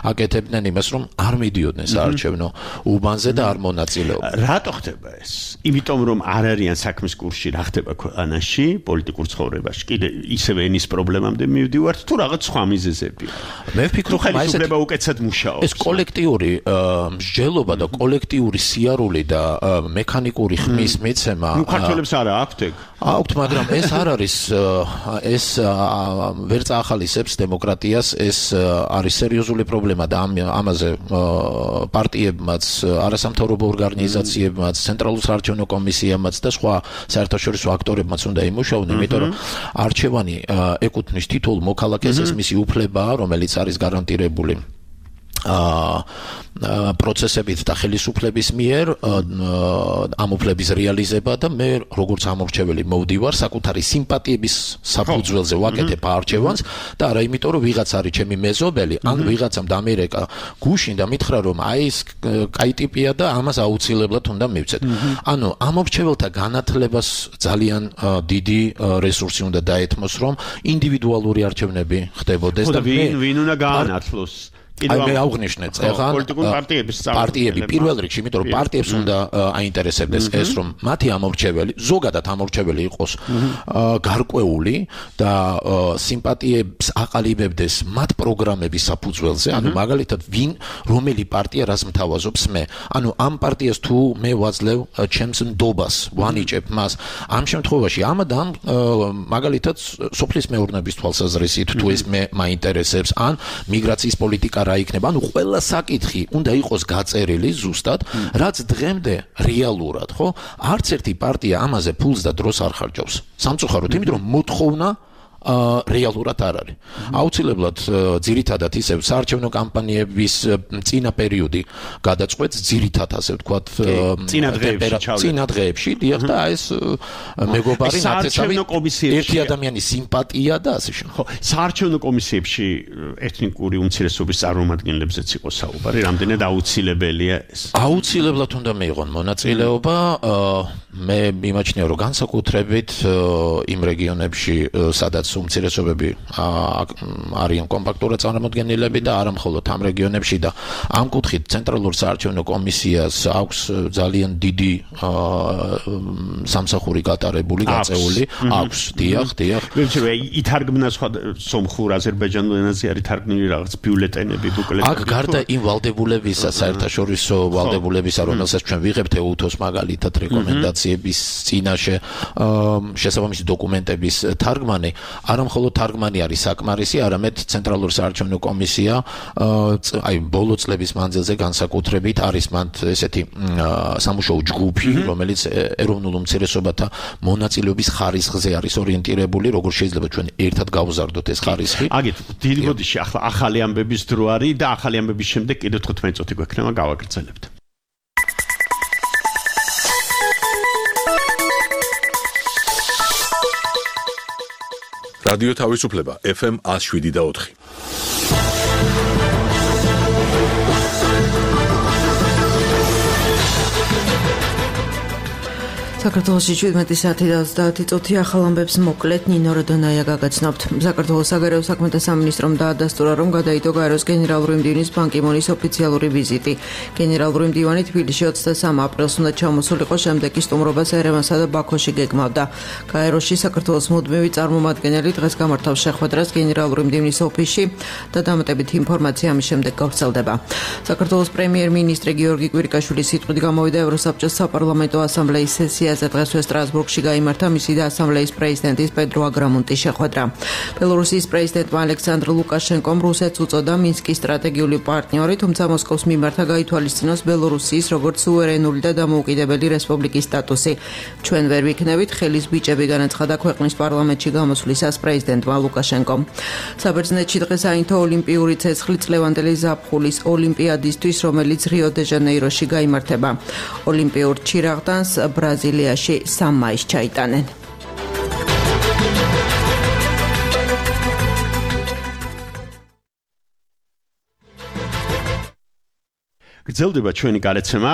აკეთებდნენ იმას, რომ არ მიდიოდნენ საარჩევნო უბანზე და არ მონაწილეობდნენ. რატო ხდება ეს? იმიტომ რომ არ არიან საქმის კურსში, რა ხდება ქვეყანაში, პოლიტიკურ ცხოვრებაში. კიდე ისევე ენის პრობლემამდე მივდივართ თუ რაღაც სხვა მიზეზებია. მე ვფიქრობ, რომ ხელისუფლება უკეთესად მუშაობს. ეს კოლექტიური მსჯელობა და კოლექტიური სიარული და მექანიკური ხმის მიცემა. ნუ ქართველებს არა აქვთ ეგ. აქვთ, მაგრამ ეს არ არის ეს ვერ წაახალისებს დემოკრატიას, ეს არის სერიოზული პრობლემა და ამაზე პარტიებმაც, არასამთავრობო ორგანიზაციებმაც, ცენტრალურ საარჩევნო კომისიამაც და სხვა საერთაშორისო აქტორებმაც უნდა იმუშაონ, იმიტომ რომ არჩევანი ეკუთვნის თითოეულ მოქალაქეს, ეს მისი უფლებაა, რომელიც არის გარანტირებული პროცესებით და ხელისუფლების მიერ ამ უფლების რეალიზება და მე როგორც ამორჩეველი მოვდივარ საკუთარი სიმპათიების საფუძველზე ვაკეთებ არჩევანს და არა იმიტომ რომ ვიღაც არის ჩემი მეზობელი ან ვიღაცამ დამერეკა გუშინ და მითხრა რომ აი ეს კაი ტიპია და ამას აუცილებლად უნდა მივცეთ. ანუ ამორჩეველთა განათლებას ძალიან დიდი რესურსი უნდა დაეთმოს, რომ ინდივიდუალური არჩევნები ხდებოდეს და ვინ უნდა გაანათლოს. მე აღვნიშნე წეღან პარტიები პირველ რიგში, იმიტომ რომ პარტიებს უნდა აინტერესებდეს ეს, რომ მათი ამორჩეველი, ზოგადად ამორჩეველი იყოს გარკვეული და სიმპათიებს აყალიბებდეს მათ პროგრამების საფუძველზე, ანუ მაგალითად რომელი პარტია რას მთავაზობს მე. ანუ ამ პარტიას თუ მე ვაძლევ ჩემს ნდობას, ვანიჭებ მას, ამ შემთხვევაში ამადან მაგალითად სოფლის მეურნეობის თვალსაზრისით თუ ეს მე მაინტერესებს, ან მიგრაციის პოლიტიკა რა იქნება, ანუ ყველა საკითხი უნდა იყოს გაწერილი ზუსტად, რაც დღემდე რეალურად, ხო? არც ერთი პარტია ამაზე ფულს და დროს არ ხარჯავს. სამწუხაროდ, იმიტომ რომ მოთხოვნა რეალურად არ არის. აუცილებლად ძირითადად ისევ საარჩევნო კამპანიების წინა პერიოდი გადაწყვეტს ძირითადად ასე ვთქვათ წინა დღეებში დიახ და ეს მეგობარი ნაცეცავი ერთი ადამიანის სიმპათია და ასე შემდეგ. ხო, საარჩევნო კომისიებში ეთნიკური უმცირესობის წარმომადგენლებზეც იყო საუბარი, რამდენად აუცილებელია ეს? აუცილებლად უნდა მიიღონ მონაწილეობა. მე მიმაჩნია რომ განსაკუთრებით იმ რეგიონებში სადაც უმცირესობები არიან კომპაქტურად წარმოდგენილები და არა მხოლოდ ამ რეგიონებში და ამ კუთხით ცენტრალურ საარჩევნო კომისიას აქვს ძალიან დიდი სამსახური გატარებული, გაწეული აქვს, დიახ. ვეცი ითარგმნა სხვა სომხურ, აზერბაიჯანულ ენაზე არის თარგმნილი რაღაც ბიულეტენები, ბუკლეტები. აქ გარდა იმ ვალდებულებისა, საერთაშორისო ვალდებულებისა, რომელსაც ჩვენ ვიღებთ EUTOS მაგალითად რეკომენდაცია ინფორმაციების წინაშე შესაბამისი დოკუმენტების თარგმანი, არა მხოლოდ თარგმანი არის საკმარისი, არამედ ცენტრალური საარჩევნო კომისია აი ბოლო წლების მანძილზე განსაკუთრებით არის მან ესეთი სამუშაო ჯგუფი, რომელიც ეროვნულ უმცირესობათა მონაწილეობის ხარისხზე არის ორიენტირებული, როგორ შეიძლება ჩვენ ერთად გავზარდოთ ეს ხარისხი. აგეთ დიდი ბოდიში ახლა ახალი ამბების დრო არის და ახალი ამბების შემდეგ კიდევ 15 წუთი გვექნება გავაგრძელებთ. რადიო თავისუფლება FM 107.4. საქართველოში 17 საათი და 30 წუთი ახალ ამბებს მოკლედ ნინო როდონაია გაგაცნობთ. საქართველოს საგარეო საქმეთა სამინისტრომ დაადასტურა, რომ გადაიდო გაეროს გენერალური მდივნის ბან კი მუნის ოფიციალური ვიზიტი. გენერალური მდივანი თბილისში 23 აპრილს უნდა ჩამოსულიყო, შემდეგ კი სტუმრობას ერევანსა და ბაქოში გეგმავდა. გაეროში საქართველოს მუდმივი წარმომადგენელი დღეს გამართავს შეხვედრას გენერალური მდივნის ოფისში და დამატებით ინფორმაცია ამის შემდეგ გავრცელდება. საქართველოს პრემიერ-მინისტრი გიორგი კვირიკაშვილის სიტყვით გამოვიდა ევროსაბჭოს საპარლამენტო ასამბლეის სესია დღესვე სტრასბურგში გაიმართა მისი და ასამბლეის პრეზიდენტის პედრო აგრამუნტის შეხვედრა. ბელორუსიის პრეზიდენტმა ალექსანდრ ლუკაშენკომ რუსეთს უწოდა მინსკის სტრატეგიული პარტნიორი, თუმცა მოსკოვს მიმართა გაითვალისწინოს ბელორუსიის როგორც სუვერენული და დამოუკიდებელი რესპუბლიკის სტატუსი. ჩვენ ვერ ვიქნებით ხელის ბიჭები, განაცხადა ქვეყნის პარლამენტში გამოსვლისას პრეზიდენტმა ლუკაშენკომ. საბერძნეთში დღეს აინთო ოლიმპიური ცეცხლი წლევანდელი ზაფხულის ოლიმპიადისთვის, რომელიც რიო-დე-ჟანეიროში გაიმართება. ოლიმპიურ ჩირაღდანს ბრაზილიაში 3 მაისს ჩაიტანენ. გრძელდება ჩვენი გარეთცემა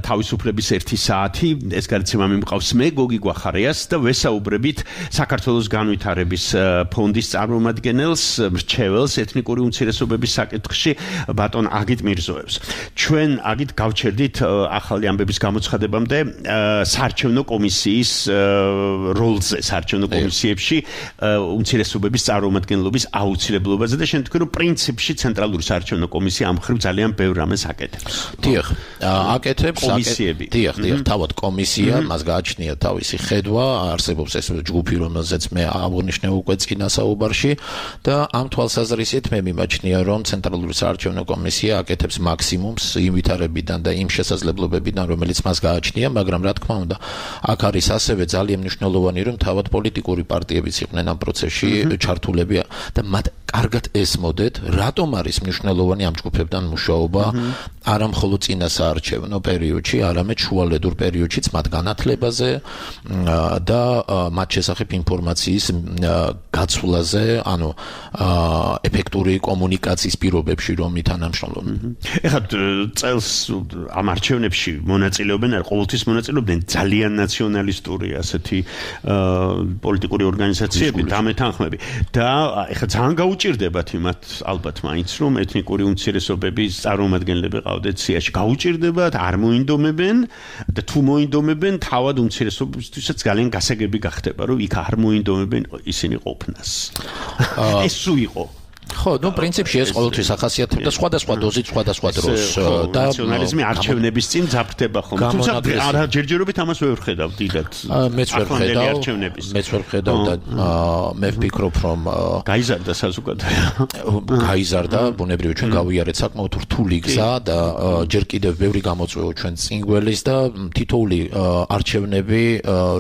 თავისუფლების 1 საათი. ეს გარეთცემა მიმყავს მე გოგი გვახარიას და ვესაუბრებით საქართველოს განვითარების ფონდის წარმომადგენელს, მრჩეველს ეთნიკური უმცირესობების საკითხში ბატონ აგიტ მირზოევს. ჩვენ აგიტ გავჩერდით ახალი ამბების გამოცხადებამდე საარჩევნო კომისიის როლზე, საარჩევნო კომისიებში უმცირესობების წარმომადგენლობის აუცილებლობაზე და შენ თქვი რომ პრინციპში ცენტრალური საარჩევნო კომისია ამ ხრივ ძალიან ბევრ რამეს აკეთებს. დიახ, აკეთებს კომისიები. დიახ, თავად კომისია, მას გააჩნია თავისი ხედვა, არსებობს ეს ჯგუფი, რომელზეც მე აღნიშნე უკვე წინა საუბარში და ამ თვალსაზრისით მე მიმაჩნია, რომ ცენტრალური საარჩევნო კომისია აკეთებს მაქსიმუმს იმ ვითარებიდან და იმ შესაძლებლობებიდან, რომელიც მას გააჩნია, მაგრამ რა თქმა უნდა, აქ არის ასევე ძალიან მნიშვნელოვანი, რომ თავად პოლიტიკური პარტიებიც იყვნენ ამ პროცესში ჩართულები და მათ კარგად ესმოდეთ, რატომ არის მნიშვნელოვანი ამ ჯგუფებთან მუშაობა, არა მხოლოდ წინა საარჩევნო პერიოდში, არამედ შუალედურ პერიოდშიც მათ განათლებაზე და მათ შესახებ ინფორმაციის გაცვლაზე, ანუ ეფექტური კომუნიკაციის პირობებში რომ ითანამშრომლობენ. ეხლა წელს ამ არჩევნებში მონაწილეობენ, ყოველთვის მონაწილეობენ ძალიან ნაციონალისტური ასეთი პოლიტიკური ორგანიზაციები, დამეთანხმები და ეხლა ძალიან გაუჭირდებათ იმათ ალბათ მაინც რომ ეთნიკური უმცირესობების წარმომადგენლები ყავდეთ სიაში, გაუჭირდებათ, არ მოინდომებენ და თუ მოინდომებენ, თავად უმცირესობებისთვისაც ძალიან გასაგები გახდება, რომ იქ არ მოინდომებენ ისინი ყოფნას. ეს სულ იყო. ხო, ნუ პრინციპში ეს ყოველთვის ახასიათებდა სხვადასხვა დოზით, სხვადასხვა დროს და ნაციონალიზმი არჩევნების წინ ძაფრდება ხომ. თუმცა არა ჯერჯერობით ამას ვერ ვხედავ დიდად. მეც ვერ ვხედავ და მე ვფიქრობ, რომ გაიზარდა საზოგადოება. გაიზარდა, ბუნებრივია ჩვენ გავიარეთ საკმაოდ რთული გზა და ჯერ კიდევ ბევრი გამოწვევა ჩვენ წინ გველის და თითოეული არჩევნები,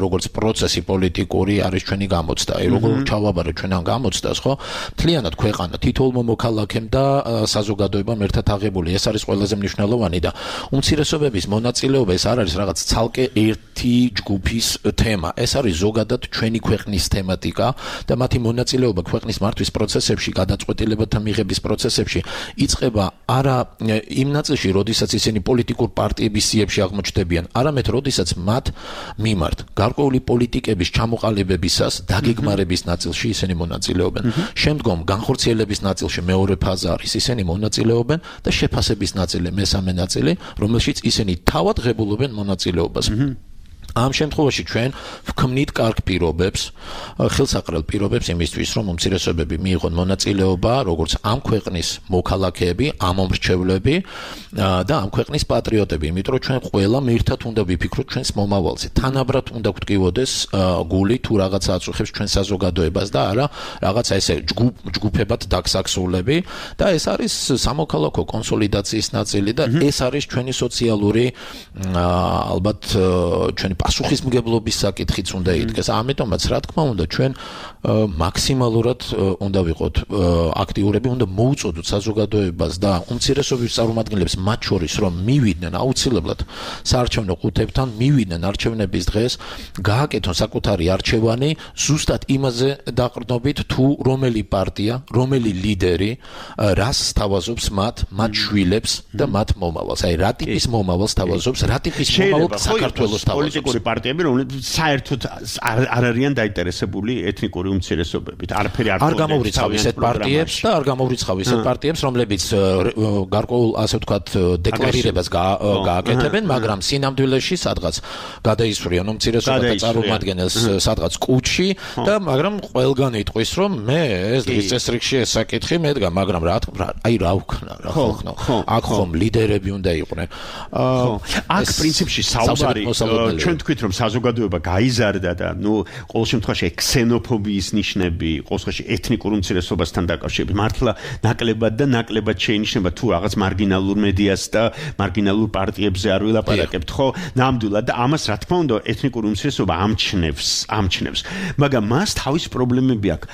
როგორც პროცესი პოლიტიკური არის ჩვენი გამოცდა. აი როგორ ჩავაბარეთ ჩვენ ამ გამოცდას, ხო? მთლიანად ქვეყანა თითოეულ მოქალაქემ და საზოგადოებამ ერთად აღებული. ეს არის ყველაზე მნიშვნელოვანი და უმცირესობების მონაწილეობა ეს არ არის რაღაც ცალკე ერთი ჯგუფის თემა. ეს არის ზოგადად ჩვენი ქვეყნის თემატიკა და მათი მონაწილეობა ქვეყნის მართვის პროცესებში, გადაწყვეტილებათა მიღების პროცესებში იწყება არა იმ ნაწილში, როდესაც ისინი პოლიტიკურ პარტიების სიებში აღმოჩნდებიან, არამედ როდესაც მათ მიმართ გარკვეული პოლიტიკების ჩამოყალიბებისას დაგეგმარების ნაწილში ისინი მონაწილეობენ. შემდგომ განხორციელების ნაწილში მეორე ფაზა არის ისინი მონაწილეობენ და შეფასების ნაწილი მესამე ნაწილი, რომელშიც ისინი თავად ღებულობენ მონაწილეობას. ამ შემთხვევაში ჩვენ ვქმნით კარგ პირობებს, ხელსაყრელ პირობებს იმისთვის, რომ უმცირესობები მიიღონ მონაწილეობა, როგორც ამ ქვეყნის მოქალაქეები, ამომრჩევლები და ამ ქვეყნის პატრიოტები, იმიტომ რომ ჩვენ ყველა ერთად უნდა ვიფიქროთ ჩვენს მომავალზე. თანაბრად უნდა გვტკივოდეს გული თუ რაღაცა აწუხებს ჩვენ საზოგადოებას და არა რაღაცა ესე ჯგუფებად დაგსაქსულები და ეს არის სამოქალაქო კონსოლიდაციის ნაწილი და ეს არის ჩვენი სოციალური ალბათ ჩვენი პასუხისმგებლობის საკითხიც უნდა იდგეს. ამიტომაც რა თქმა უნდა ჩვენ მაქსიმალურად უნდა ვიყოთ აქტიურები, უნდა მოუწოდოთ საზოგადოებას და უმცირესობის წარმომადგენლებს მათ შორის რომ მივიდნენ აუცილებლად საარჩევნო ყუთებთან, მივიდნენ არჩევნების დღეს, გააკეთონ საკუთარი არჩევანი ზუსტად იმაზე დაყრდნობით თუ რომელი პარტია, რომელი ლიდერი რას სთავაზობს მათ შვილებს და მათ მომავალს. აი რა ტიპის მომავალს სთავაზობს, რა ტიპის მომავალს საქართველოს სთავაზობს. პოლიტიკური პარტიები, რომლებიც საერთოდ არ არიან დაინტერესებული ეთნიკური უმცირესობებით. არაფერი არ გამოვრიცხავ ისეთ პარტიებს და არ გამოვრიცხავ ისეთ პარტიებს, რომლებიც გარკვეულ ასე ვთქვათ დეკლარირებას გააკეთებენ, მაგრამ სინამდვილეში სადღაც გადაისვრიან უმცირესობათა წარმომადგენელს სადღაც კუჩში და მაგრამ ყველგან იტყვის რომ მე ეს დღის წესრიგში ეს საკითხი მედგა, მაგრამ რა აი რა ვქნა რა ხოხნო. აქ ხომ ლიდერები უნდა იყვნენ. აქ პრინციპში საუბარი ჩვენ თქვით რომ საზოგადოება გაიზარდა და ყოველ შემთხვევაში ქსენოფობიის ნიშნები, ყოველ შემთხვევაში ეთნიკურ უმცირესობასთან დაკავშირებით მართლა ნაკლებად შეინიშნება თუ რაღაც მარგინალურ მედიას და მარგინალურ პარტიებზე არ ვილაპარაკებთ, ხო? ნამდვილად და ამას რა თქმა უნდა ეთნიკური უმცირესობა ამჩნევს. მაგრამ მას თავის პრობლემები აქვს.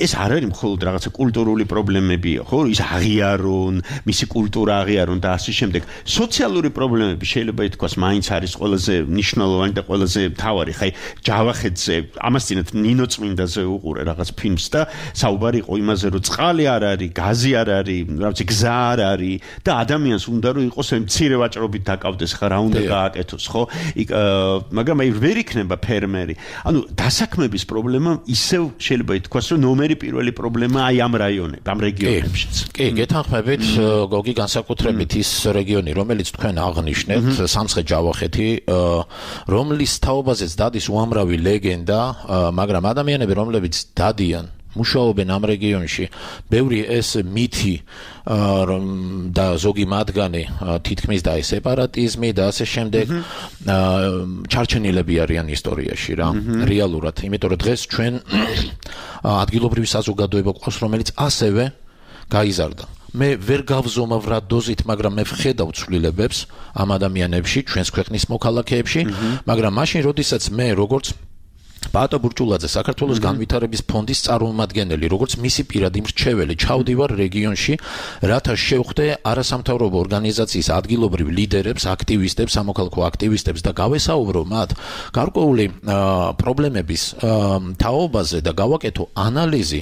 ეს არ არის მხოლოდ რაღაცა კულტურული პრობლემებია, ხო? ის აღიარონ, მისი კულტურა აღიარონ და ასე შემდეგ. სოციალური პრობლემები შეიძლება ითქვას მაინც არის ყველაზე მნიშვნელოვანი და ყველაზე მთავარი. ხაი ჯავახეთზე ამას წინათ ნინო წმინდაზე უყურე რაღაც ფილმს და საუბარი იყო იმაზე რომ წყალი არ არის, გაზი არ არის, რაღაც გზა არ არის და ადამიანს უნდა რომ იყოს მცირე ვაჭრობით დაკავდეს ხა რა უნდა გააკეთოს, ხო? მაგრამ აი ვერ იქნება ფერმერი. ანუ დასაქმების პრობლემა ისევ შეიძლება ითქვას რომ ნომერი პირველი პრობლემა აი ამ რაიონებში, ამ რეგიონებშიც. კი, გეთანხმებით, გოგი განსაკუთრებით ის რეგიონი, რომელიც თქვენ აღნიშნეთ, სამცხე-ჯავახეთი, რომლის თაობაზეც დადის უამრავი ლეგენდა, მაგრამ ადამიანები, რომლებიც დადიან მუშაობენ ამ რეგიონში, ბევრი ეს მითი და ზოგი მათგანი თითქმის და სეპარატიზმი და ასე შემდეგ ჩარჩენილები არიან ისტორიაში რა, რეალურად, იმიტომ რომ დღეს ჩვენ ადგილობრივი საზოგადოება ყავს, რომელიც ასევე გაიზარდა. მე ვერ გავზომავ რა დოზით, მაგრამ მე ვხედავ ცვლილებებს ამ ადამიანებში, ჩვენს ქვეყნის მოქალაქეებში, მაგრამ მაშინ, როდესაც მე როგორც ბატო ბურჭულაძე, საქართველოს განვითარების ფონდის წარმომადგენელი, როგორც მისი პირადი მრჩეველი, ჩავდივარ რეგიონში, რათა შევხვდე არასამთავრობო ორგანიზაციის ადგილობრივ ლიდერებს, აქტივისტებს, სამოქალაქო აქტივისტებს და გავესაუბრო მათ გარკვეული პრობლემების თაობაზე და გავაკეთო ანალიზი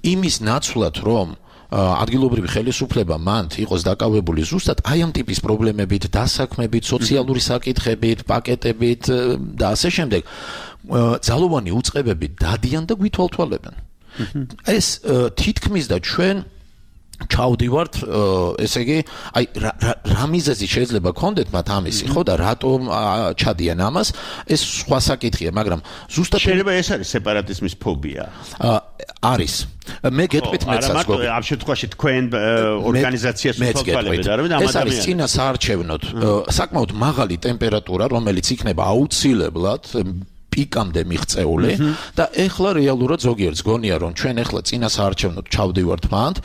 იმის ნაცვლად, რომ ადგილობრივი ხელისუფლება მანდ იყოს დაკავებული ზუსტად აი ამ ტიპის პრობლემებით, დასაქმებით, სოციალური საკითხებით, პაკეტებით და ასე შემდეგ. ძალოვანი უწყებები დადიან და გვითვალთვალებენ. ეს თითქმის და ჩვენ ჩავდივართ, ესე იგი, აი რა მიზეზი შეიძლება გქონდეთ მათ ამისი, ხო და რატომ ჩადიან ამას, ეს სხვა საკითხია, მაგრამ ზუსტად შეიძლება ეს არის სეპარატიზმის ფობია. არის. მე გეტყვით მეცაც გოგო. ამ შემთხვევაში თქვენ ორგანიზაციას უთვალთვალებთ, არა? ეს არის წინა საარჩევნოდ საკმაოდ მაღალი ტემპერატურა, რომელიც იქნება აუცილებლად პიკამდე მიღწეული და ეხლა რეალურად ზოგიერთს გონია რომ ჩვენ ეხლა წინა საარჩევნოდ ჩავდივართ მანდ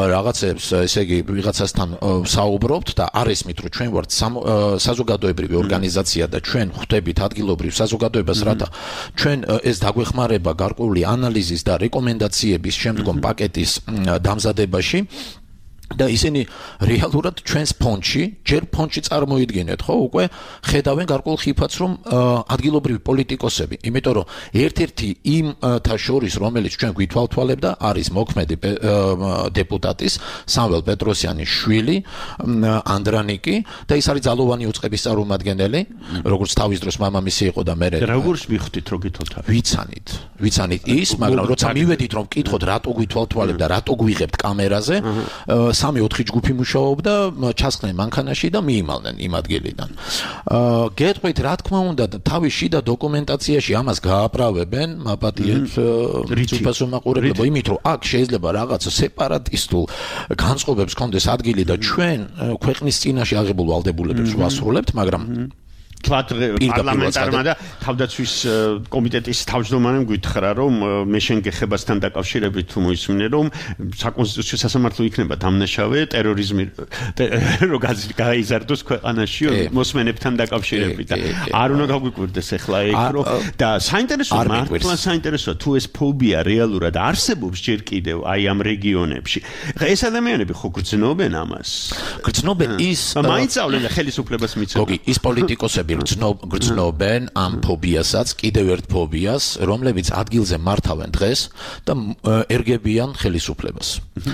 რაღაცებს ესე იგი ვიღაცასთან საუბრობთ და არ ესმით რომ ჩვენ ვართ საზოგადოებრივი ორგანიზაცია და ჩვენ ხვდებით ადგილობრივ საზოგადოებას რათა ჩვენ ეს დაგვეხმარება გარკვეული ანალიზის და რეკომენდაციების შემდგომ პაკეტის დამზადებაში და ისინი რეალურად ჩვენს ფონდში, ჯერ ფონდში წარმოიდგინეთ, ხო, უკვე ხედავენ გარკვეულ ხიფათს, რომ ადგილობრივი პოლიტიკოსები, იმიტომ რომ ერთ-ერთი იმთა შორის, რომელიც ჩვენ გვითვალთვალებდა, არის მოქმედი დეპუტატის სამվել პეტროსიანის შვილი, ანდრანიკი და ის არის ძალოვანი უწყების წარმომადგენელი, როგორც თავის დროს მამამისი იყო და მე როგორც მიხვდით, რომ გითვალთვალებთ? ვიცანით ის, მაგრამ როცა მივედით რომ ვკითხოთ, რატო გვითვალთვალებთ და რატო გვიღებთ კამერაზე, 3-4 ჯგუფი მუშაობდა ჩასხდნენ მანქანაში და მიიმალნენ იმ ადგილიდან. გეტყვით რა თქმა უნდა თავის შიდა დოკუმენტაციაში ამას გააправებენ მაპატიებს ძუფასო მაყურებლებო იმით რომ აქ შეიძლება რაღაც სეპარატისტულ განწყობებს კონდეს ადგილი და ჩვენ ქვეყნის წინაშე აღებულ ვალდებულებებს ვასრულებთ, მაგრამ პარლამენტარმა და თავდაცვის კომიტეტის თავმჯდომარემ გითხრა რომ მე შენ გეხებასთან დაკავშირებით თუ მოისმინე რომ საკონსტიტუციო სასამართლო იქნება დამნაშავე ტერორიზმი რო გაიზარდოს ქვეყანაში მოსმენებთან დაკავშირებით და არ უნდა გაგვიკვირდეს ახლა ეგ რომ და საინტერესოა მართლა საინტერესოა თუ ეს ფობია რეალურად არსებობს ჯერ კიდევ აი ამ რეგიონებში ეს ადამიანები ხო გრძნობენ ამას გრძნობენ ის მაინცავლენ ხელისუფლებას მიცემენ გოგი ის პოლიტიკოსები გრძნობენ ამ ფობიასაც, კიდევ ერთ ფობიას, რომლებიც ადგილზე მართავენ დღეს და ერგებიან ხელისუფლებას.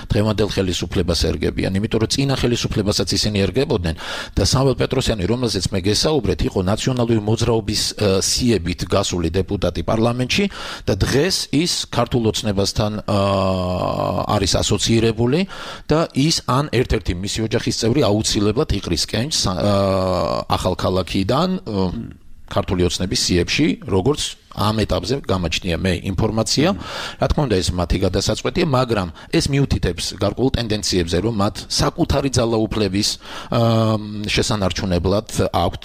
დღევანდელ ხელისუფლებას ერგებიან, იმიტომ რომ წინა ხელისუფლებასაც ისინი ერგებოდნენ და სამվել პეტროსიანი, რომელზეც მე გესაუბრეთ, იყო ნაციონალური მოძრაობის სიებით გასული დეპუტატი პარლამენტში და დღეს ის ქართულ ოცნებასთან არის ასოცირებული და ის ან ერთ-ერთი მისი ოჯახის წევრი აუცილებლად იყრის კენჭს ახალქალაქიდან ქართული ოცნების სიებში, როგორც ამ ეტაპზე გამაჩნია მე ინფორმაცია, რა თქმა უნდა ეს მათი გადასაწყვეტია, მაგრამ ეს მიუთითებს გარკვეულ ტენდენციებზე, რომ მათ საკუთარი ძალაუფლების შესანარჩუნებლად აქვთ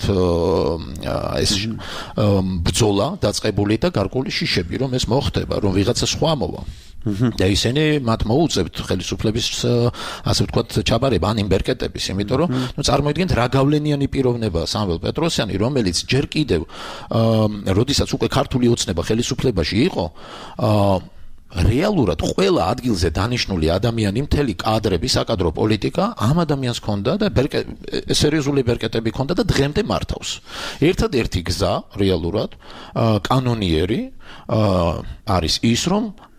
ეს ბრძოლა დაწყებული და გარკვეული შიშები, რომ ეს მოხდება, რომ ვიღაცა სხვა მოვა. და ისინი მათ მოუწევთ ხელისუფლების ასე ვთქვათ ჩაბარება ან იმბერკეტების, იმიტომ რომ წარმოიდგინეთ რა გავლენიანი პიროვნებაა სამվել პეტროსიანი, რომელიც ჯერ კიდევ როდესაც უკვე ქართული ოცნება ხელისუფლებაში იყო, რეალურად ყველა ადგილზე დანიშნული ადამიანი, მთელი კადრები, საკადრო პოლიტიკა ამ ადამიანს ჰქონდა და სერიოზული ბერკეტები ჰქონდა და დღემდე მართავს. ერთადერთი გზა რეალურად კანონიერი არის ის, რომ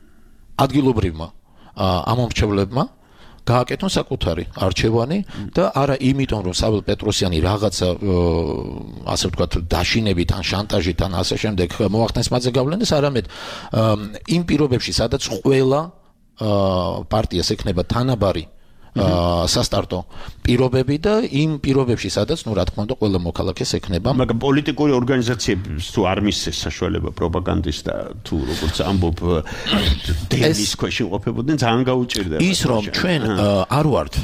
ადგილობრივმა ამომრჩევლებმა გააკეთონ საკუთარი არჩევანი და არა იმიტომ რომ სამվել პეტროსიანი რაღაცა ასე ვთქვათ დაშინებით ან შანტაჟით ან ასე შემდეგ მოახდენს მათზე გავლენას, არამედ იმ პირობებში სადაც ყველა პარტიას ექნება თანაბარი სასტარტო პირობები და იმ პირობებში სადაც რა თქმა უნდა ყველა მოქალაქეს ექნება მაგრამ პოლიტიკური ორგანიზაციებს თუ არ მისცეს საშუალება პროპაგანდის და თუ როგორც ამბობ დენის ქვეშ იმყოფებოდნენ ძალიან გაუჭირდება ის რომ ჩვენ არ ვართ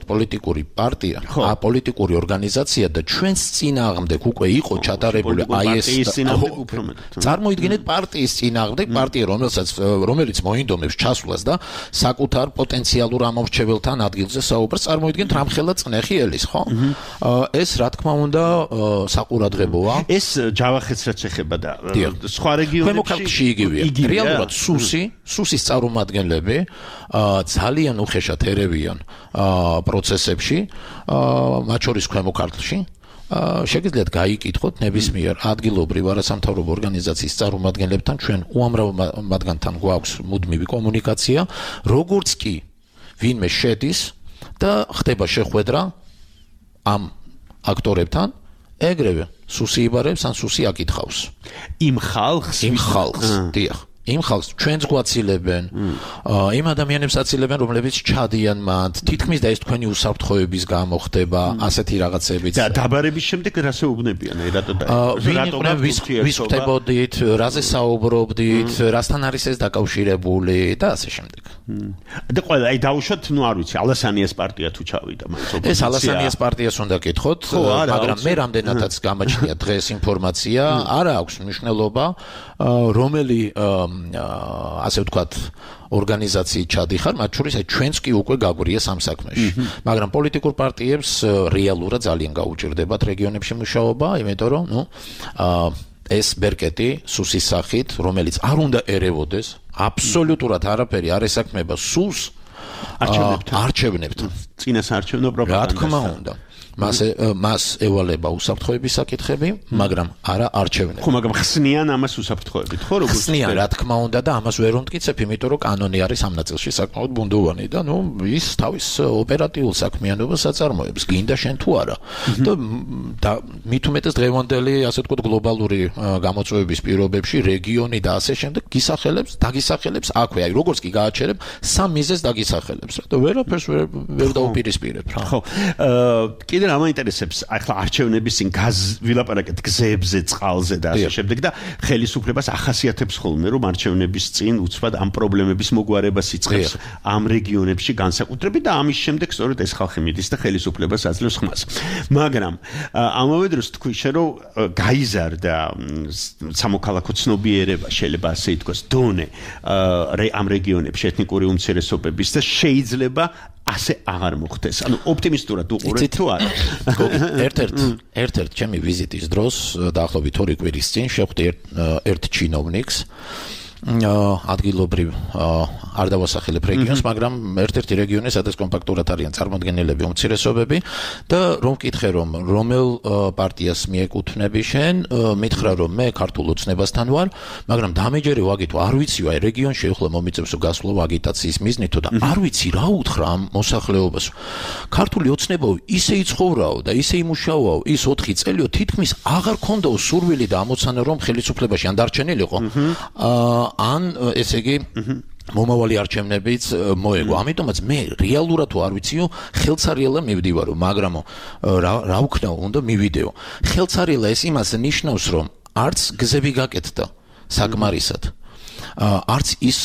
პოლიტიკური პარტია, პოლიტიკური ორგანიზაცია და ჩვენს წინააღმდეგ უკვე იყო ჩატარებული აი ეს წარმოიდგინეთ პარტიის წინააღმდეგ პარტია რომელიც მოინდომებს ჩასვლას და საკუთარ პოტენციალურ ამორჩეველთან ადგილზე საუბრს, წარმოიდგინეთ რამხელა წნეხი ელის, ხო? ეს რა თქმა უნდა საყურადღებოა. ეს ჯავახეთს რაც ეხება და სხვა რეგიონებში ქვემოქალაქში იგივეა. რეალურად სუსის წარმომადგენლები ძალიან უხეშად ერევიან პროცესებში, მათ შორის ქვემოქართლში, შეგიძლიათ გაიკითხოთ ნებისმიერ ადგილობრივ არასამთავრობო ორგანიზაციის წარმომადგენლებთან, ჩვენ უამრავ მათგანთან გვაქვს მუდმივი კომუნიკაცია, როგორც კი ვინმე შედის და ხდება შეხვედრა ამ აქტორებთან, ეგრევე სუსი იბარებს ან სუსი აკითხავს. იმ ხალხს, დიახ. იმ ხალხს ჩვენც გვაცილებენ, იმ ადამიანებს აცილებენ, რომლებიც ჩადიან მათ, თითქმის და ეს თქვენი უსაფრთხოების გამო ხდება, ასეთი რაღაცებიც. და დაბარების შემდეგ რას ეუბნებიან, ვის ხდებოდით, რაზე საუბრობდით, რასთან არის ეს დაკავშირებული და ასე შემდეგ. და ყველა აი დაუშვათ, არ ვიცი, ალასანიას პარტია თუ ჩავიდა, ეს ალასანიას პარტიას უნდა გითხოთ, მაგრამ მე რამდენადაც გამაჩნია დღეს ინფორმაცია, არ აქვს მნიშვნელობა, რომელი ასე ვთქვათ ორგანიზაციით ჩადიხარ, მათ შორის ჩვენც კი უკვე გაგვრია სამ საქმეში. მაგრამ პოლიტიკურ პარტიებს რეალურად ძალიან გაუჭირდებათ რეგიონებში მუშაობა, იმიტომ რომ ეს ბერკეტი სუსის სახით, რომელიც არ უნდა ერევოდეს, აბსოლუტურად არაფერი არ ესაქმება სულს არჩევნებთან. წინასაარჩევნო პროპაგანდას. რა თქმა უნდა. მას ევალება უსაფრთხოების საკითხები, მაგრამ არა არჩევნები. ხო, მაგრამ ხსნიან ამას უსაფრთხოებით, ხო, როგორც ხსნიან, რა თქმა უნდა და ამას ვერ უმტკიცებ, იმიტომ რომ კანონი არის ამ ნაწილში საკმაოდ ბუნდოვანი და ის თავის ოპერატიულ საქმიანობას აწარმოებს, გინდა შენ თუ არა. და მით უმეტეს დღევანდელი, ასე ვთქვათ, გლობალური გამოწვევების პირობებში რეგიონი და ასე შემდეგ დაგისახელებს აქვე, აი როგორც კი გააჩერებ, სამ მიზეზს დაგისახელებს რა და ვერაფერს ვერ დაუპირისპირებ რა. ხო, კიდე რა მაინტერესებს, ახლა არჩევნების წინ ვილაპარაკეთ გზებზე, წყალზე და ასე შემდეგ და ხელისუფლებას ახასიათებს ხოლმე რომ არჩევნების წინ უცბად ამ პრობლემების მოგვარებას იწყებს ამ რეგიონებში განსაკუთრებით და ამის შემდეგ სწორედ ეს ხალხი მიდის და ხელისუფლებას აძლევს ხმას. მაგრამ ამავე დროს თქვი შე რომ გაიზარდა სამოქალაქო ცნობიერება შეიძლება ასე ითქვას დონე ამ რეგიონებში ეთნიკური უმცირესობების და შეიძლება ასე აღარ მოხდეს. ანუ ოპტიმისტურად უყურეთ თუ არა. ერთ-ერთ ჩემი ვიზიტის დროს დაახლოებით 2 კვირის წინ შევხვდი ერთ ჩინოვნიკს ადგილობრივ არ დავასახელებ რეგიონს, მაგრამ ერთ-ერთი რეგიონი, სადაც კომპაქტურად არიან წარმოდგენილები უმცირესობები და რომ ვკითხე რომ რომელ პარტიას მიეკუთვნები შენ, მითხრა რომ მე ქართულ ოცნებასთან ვარ, მაგრამ დამეჯერე ვაგითო, არ ვიცი აი რეგიონში ახლა მომიწევს გასვლა აგიტაციის მიზნით და არ ვიცი რა უთხრა ამ მოსახლეობას. ქართული ოცნებაო ისე იცხოვრაო და ისე იმუშაოაო ის 4 წელიო თითქმის აღარ ქონდაო სურვილი და ამოცანა რომ ხელისუფლებაში ან დარჩენილიყო. ან ესე იგი მომავალი არჩევნებიც მოეგო. ამიტომაც მე რეალურად თუ არ ვიციო, ხელცარიელა მივდივარო, მაგრამ რა ვქნაო, უნდა მივიდეო. ხელცარიელა ეს იმას ნიშნავს, რომ არც გზები გაკეთდა საკმარისად. არც ის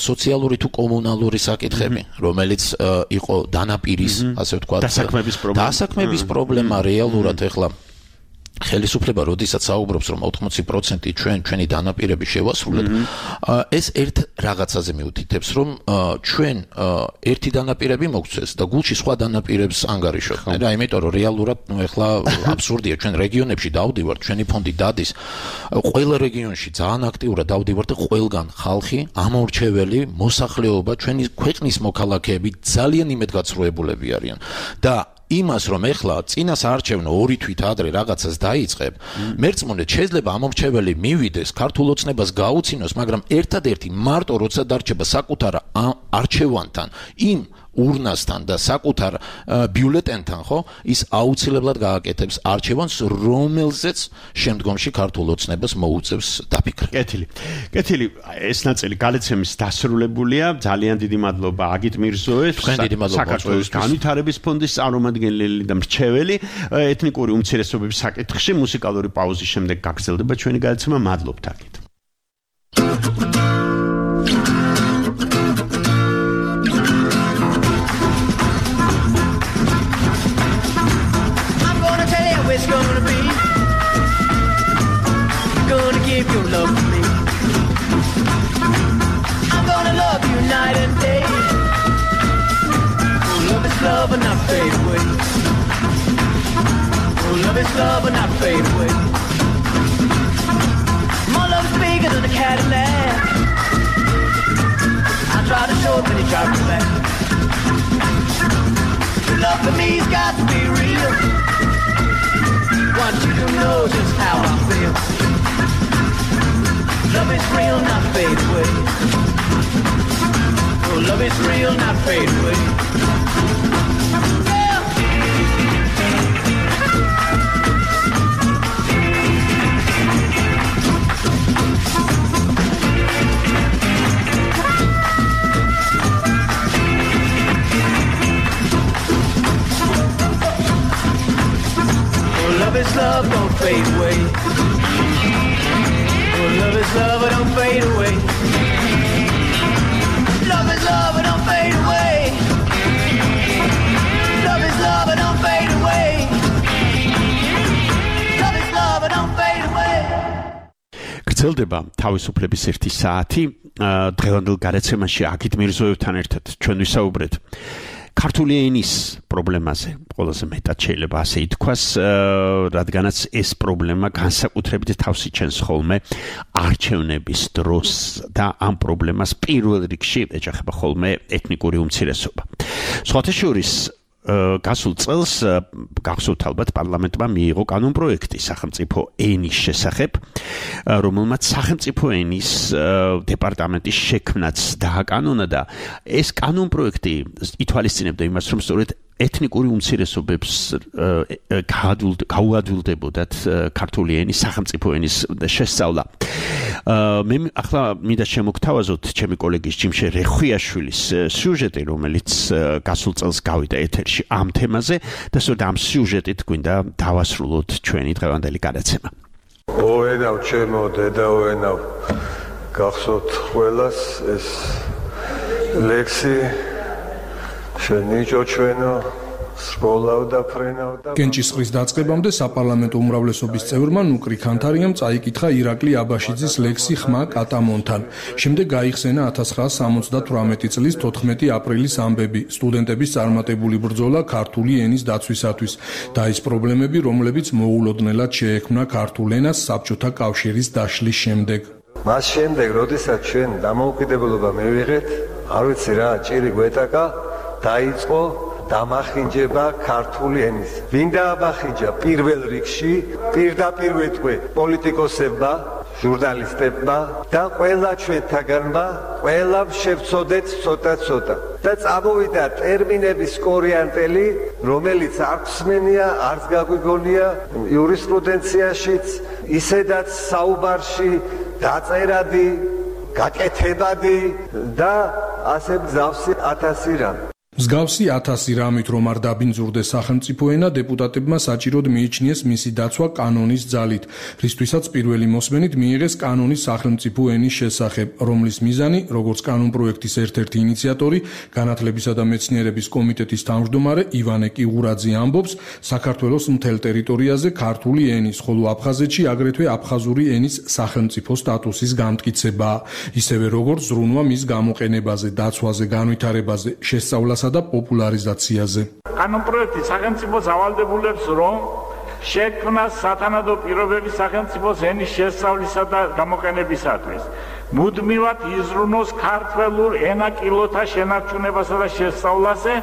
სოციალური თუ კომუნალური საკითხები, რომელიც იყო დანაპირის, ასე ვთქვათ, დასაქმების პრობლემა რეალურად ახლა ხელისუფლება როდესაც საუბრობს რომ 80% ჩვენი დანაპირები შევასრულეთ, ეს ერთ რაღაცაზე მიუთითებს რომ ჩვენ ერთი დანაპირები მოგცეს და გულში სხვა დანაპირებს ანგარიშობთ და იმიტომ რომ რეალურად ახლა აბსურდია ჩვენ რეგიონებში დავდივართ, ჩვენი ფონდი დადის ყველა რეგიონში ძალიან აქტიურად დავდივართ და ყველგან ხალხი, ამორჩეველი მოსახლეობა, ჩვენი ქვეყნის მოქალაქეები ძალიან იმედგაცრუებულები არიან და იმას რომ ეხლა წინას არჩევნო 2 თვით ადრე რაღაცას დაიწყებ, მერწმუნეთ შეიძლება ამორჩეველი მივიდეს, ქართულ ოცნებას გაუცინოს, მაგრამ ერთადერთი მარტო როცა დარჩება საკუთარ არჩევანთან, იმ ურნასთან და საკუთარ ბიულეტენთან, ხო, ის აუცილებლად გააკეთებს არჩევანს, რომელზეც შემდგომში ქართულ ოცნებას მოუწევს დაფიქრება. კეთილი, ეს ნაწილი გალეცემის დასრულებულია. ძალიან დიდი მადლობა აგით მირზოეს, საქართველოს განვითარების ფონდის წარმომადგენელი და მრჩეველი ეთნიკური უმცირესობების საკითხში. მუსიკალური პაუზის შემდეგ გაგრძელდება ჩვენი გალეცემა. მადლობთ აგით. It's gonna be gonna give your love to me. I'm gonna love you night and day. Oh, love is love and not fade away. Oh, love is love and not fade away. My love is bigger than a Cadillac. I try to show it, but you try to back. Your love for me's got to be real. Want you to know just how I feel. Love is real, not fade away. Oh, love is real, not fade away. Love is love, don't fade away. Oh, love is love, don't fade away. Love is love, don't fade away. Love is love, don't fade away. Love is love, don't fade away. გრძელდება თავისუფლების 1 საათი. დღევანდელ გარეთცემაში აგით მირზოევთან ერთად ჩვენ ვისაუბრეთ ქართული ენის პრობლემაზე, ყველაზე მეტად შეიძლება ასე ითქვას, რადგანაც ეს პრობლემა განსაკუთრებით თავს იჩენს ხოლმე არჩევნების დროს და ამ პრობლემას პირველ რიგში ეჯახება ხოლმე ეთნიკური უმცირესობა. სხვათა შორის გასულ წელს გახსოვთ ალბათ პარლამენტმა მიიღო კანონპროექტი სახელმწიფო ენის შესახებ, რომელმაც სახელმწიფო ენის დეპარტამენტის შექმნაც დააკანონა და ეს კანონპროექტი ითვალისწინებდა იმას, რომ სწორედ ეთნიკური უმცირესობებს გაუადვილდებოდათ ქართული ენის სახელმწიფო ენის შესწავლა. მე ახლა მინდა შემოგთავაზოთ ჩემი კოლეგის ჯიმშე რეხვიაშვილის სიუჟეტი, რომელიც გასულ წელს გავიდა ეთერში ამ თემაზე და სწორედ ამ სიუჟეტით გვინდა დავასრულოთ ჩვენი დღევანდელი გადაცემა. ოენავ ჩემო დედაოენავ, გახსოვთ ყველას ეს ლექსი შენი ჭოჩვენო სკოლავ და ფრენავ და კენჭისყრის დაწყებამდე საპარლამენტო უმრავლესობის წევრმა ნუკრი ქანთარიამ წაიკითხა ირაკლი აბაშიძის ლექსი ხმა კატამონთან. შემდეგ გაიხსენა 1978 წლის 14 აპრილის ამბები, სტუდენტების წარმატებული ბრძოლა ქართული ენის დაცვისათვის და ის პრობლემები, რომლებიც მოულოდნელად შეექმნა ქართულ ენას საბჭოთა კავშირის დაშლის შემდეგ. მას შემდეგ, როდესაც ჩვენ დამოუკიდებლობა მივიღეთ, არ ვიცი რა, ჭირი გვეტაკა, დაიწყო დამახინჯება ქართული ენის. ვინ დაამახინჯა პირველ რიგში? პირდაპირ ვეტყვი პოლიტიკოსებმა, ჟურნალისტებმა და ყველა ჩვენთაგანმა, ყველამ შევწოდეთ ცოტა-ცოტა. და წამოვიდა ტერმინების კორიანტელი, რომელიც არც მსმენია, არც გაგვიგონია იურისპრუდენციაშიც, ისედაც საუბარში დაწერადი, გაკეთებადი და ასე მსგავსი 1000 რამ. მსგავსი 1000 რამით რომ არ დაბინძურდეს სახელმწიფო ენა, დეპუტატებმა საჭიროდ მიიჩნიეს მისი დაცვა კანონის ძალით, რისთვისაც პირველი მოსმენით მიიღეს კანონის სახელმწიფო ენის შესახებ, რომლის მიზანი, როგორც კანონპროექტის ერთ-ერთი ინიციატორი, განათლებისა და მეცნიერების კომიტეტის თავმჯდომარე ივანე კიღურაძე ამბობს, საქართველოს მთელ ტერიტორიაზე ქართული ენის, ხოლო აფხაზეთში აგრეთვე აფხაზური ენის სახელმწიფო სტატუსის განმტკიცებაა, ისევე როგორც ზრუნვა მის გამოყენებაზე, დაცვაზე, განვითარებაზე, შესწავლას და პოპულარიზაციაზე. კანონპროექტი სახელმწიფოს ავალდებულებს, რომ შექმნას სათანადო პირობები სახელმწიფოს ენის შესწავლისა და გამოყენებისათვის. მუდმივად იზრუნოს ქართველურ ენაკილოთა შენარჩუნებასა და შესწავლაზე,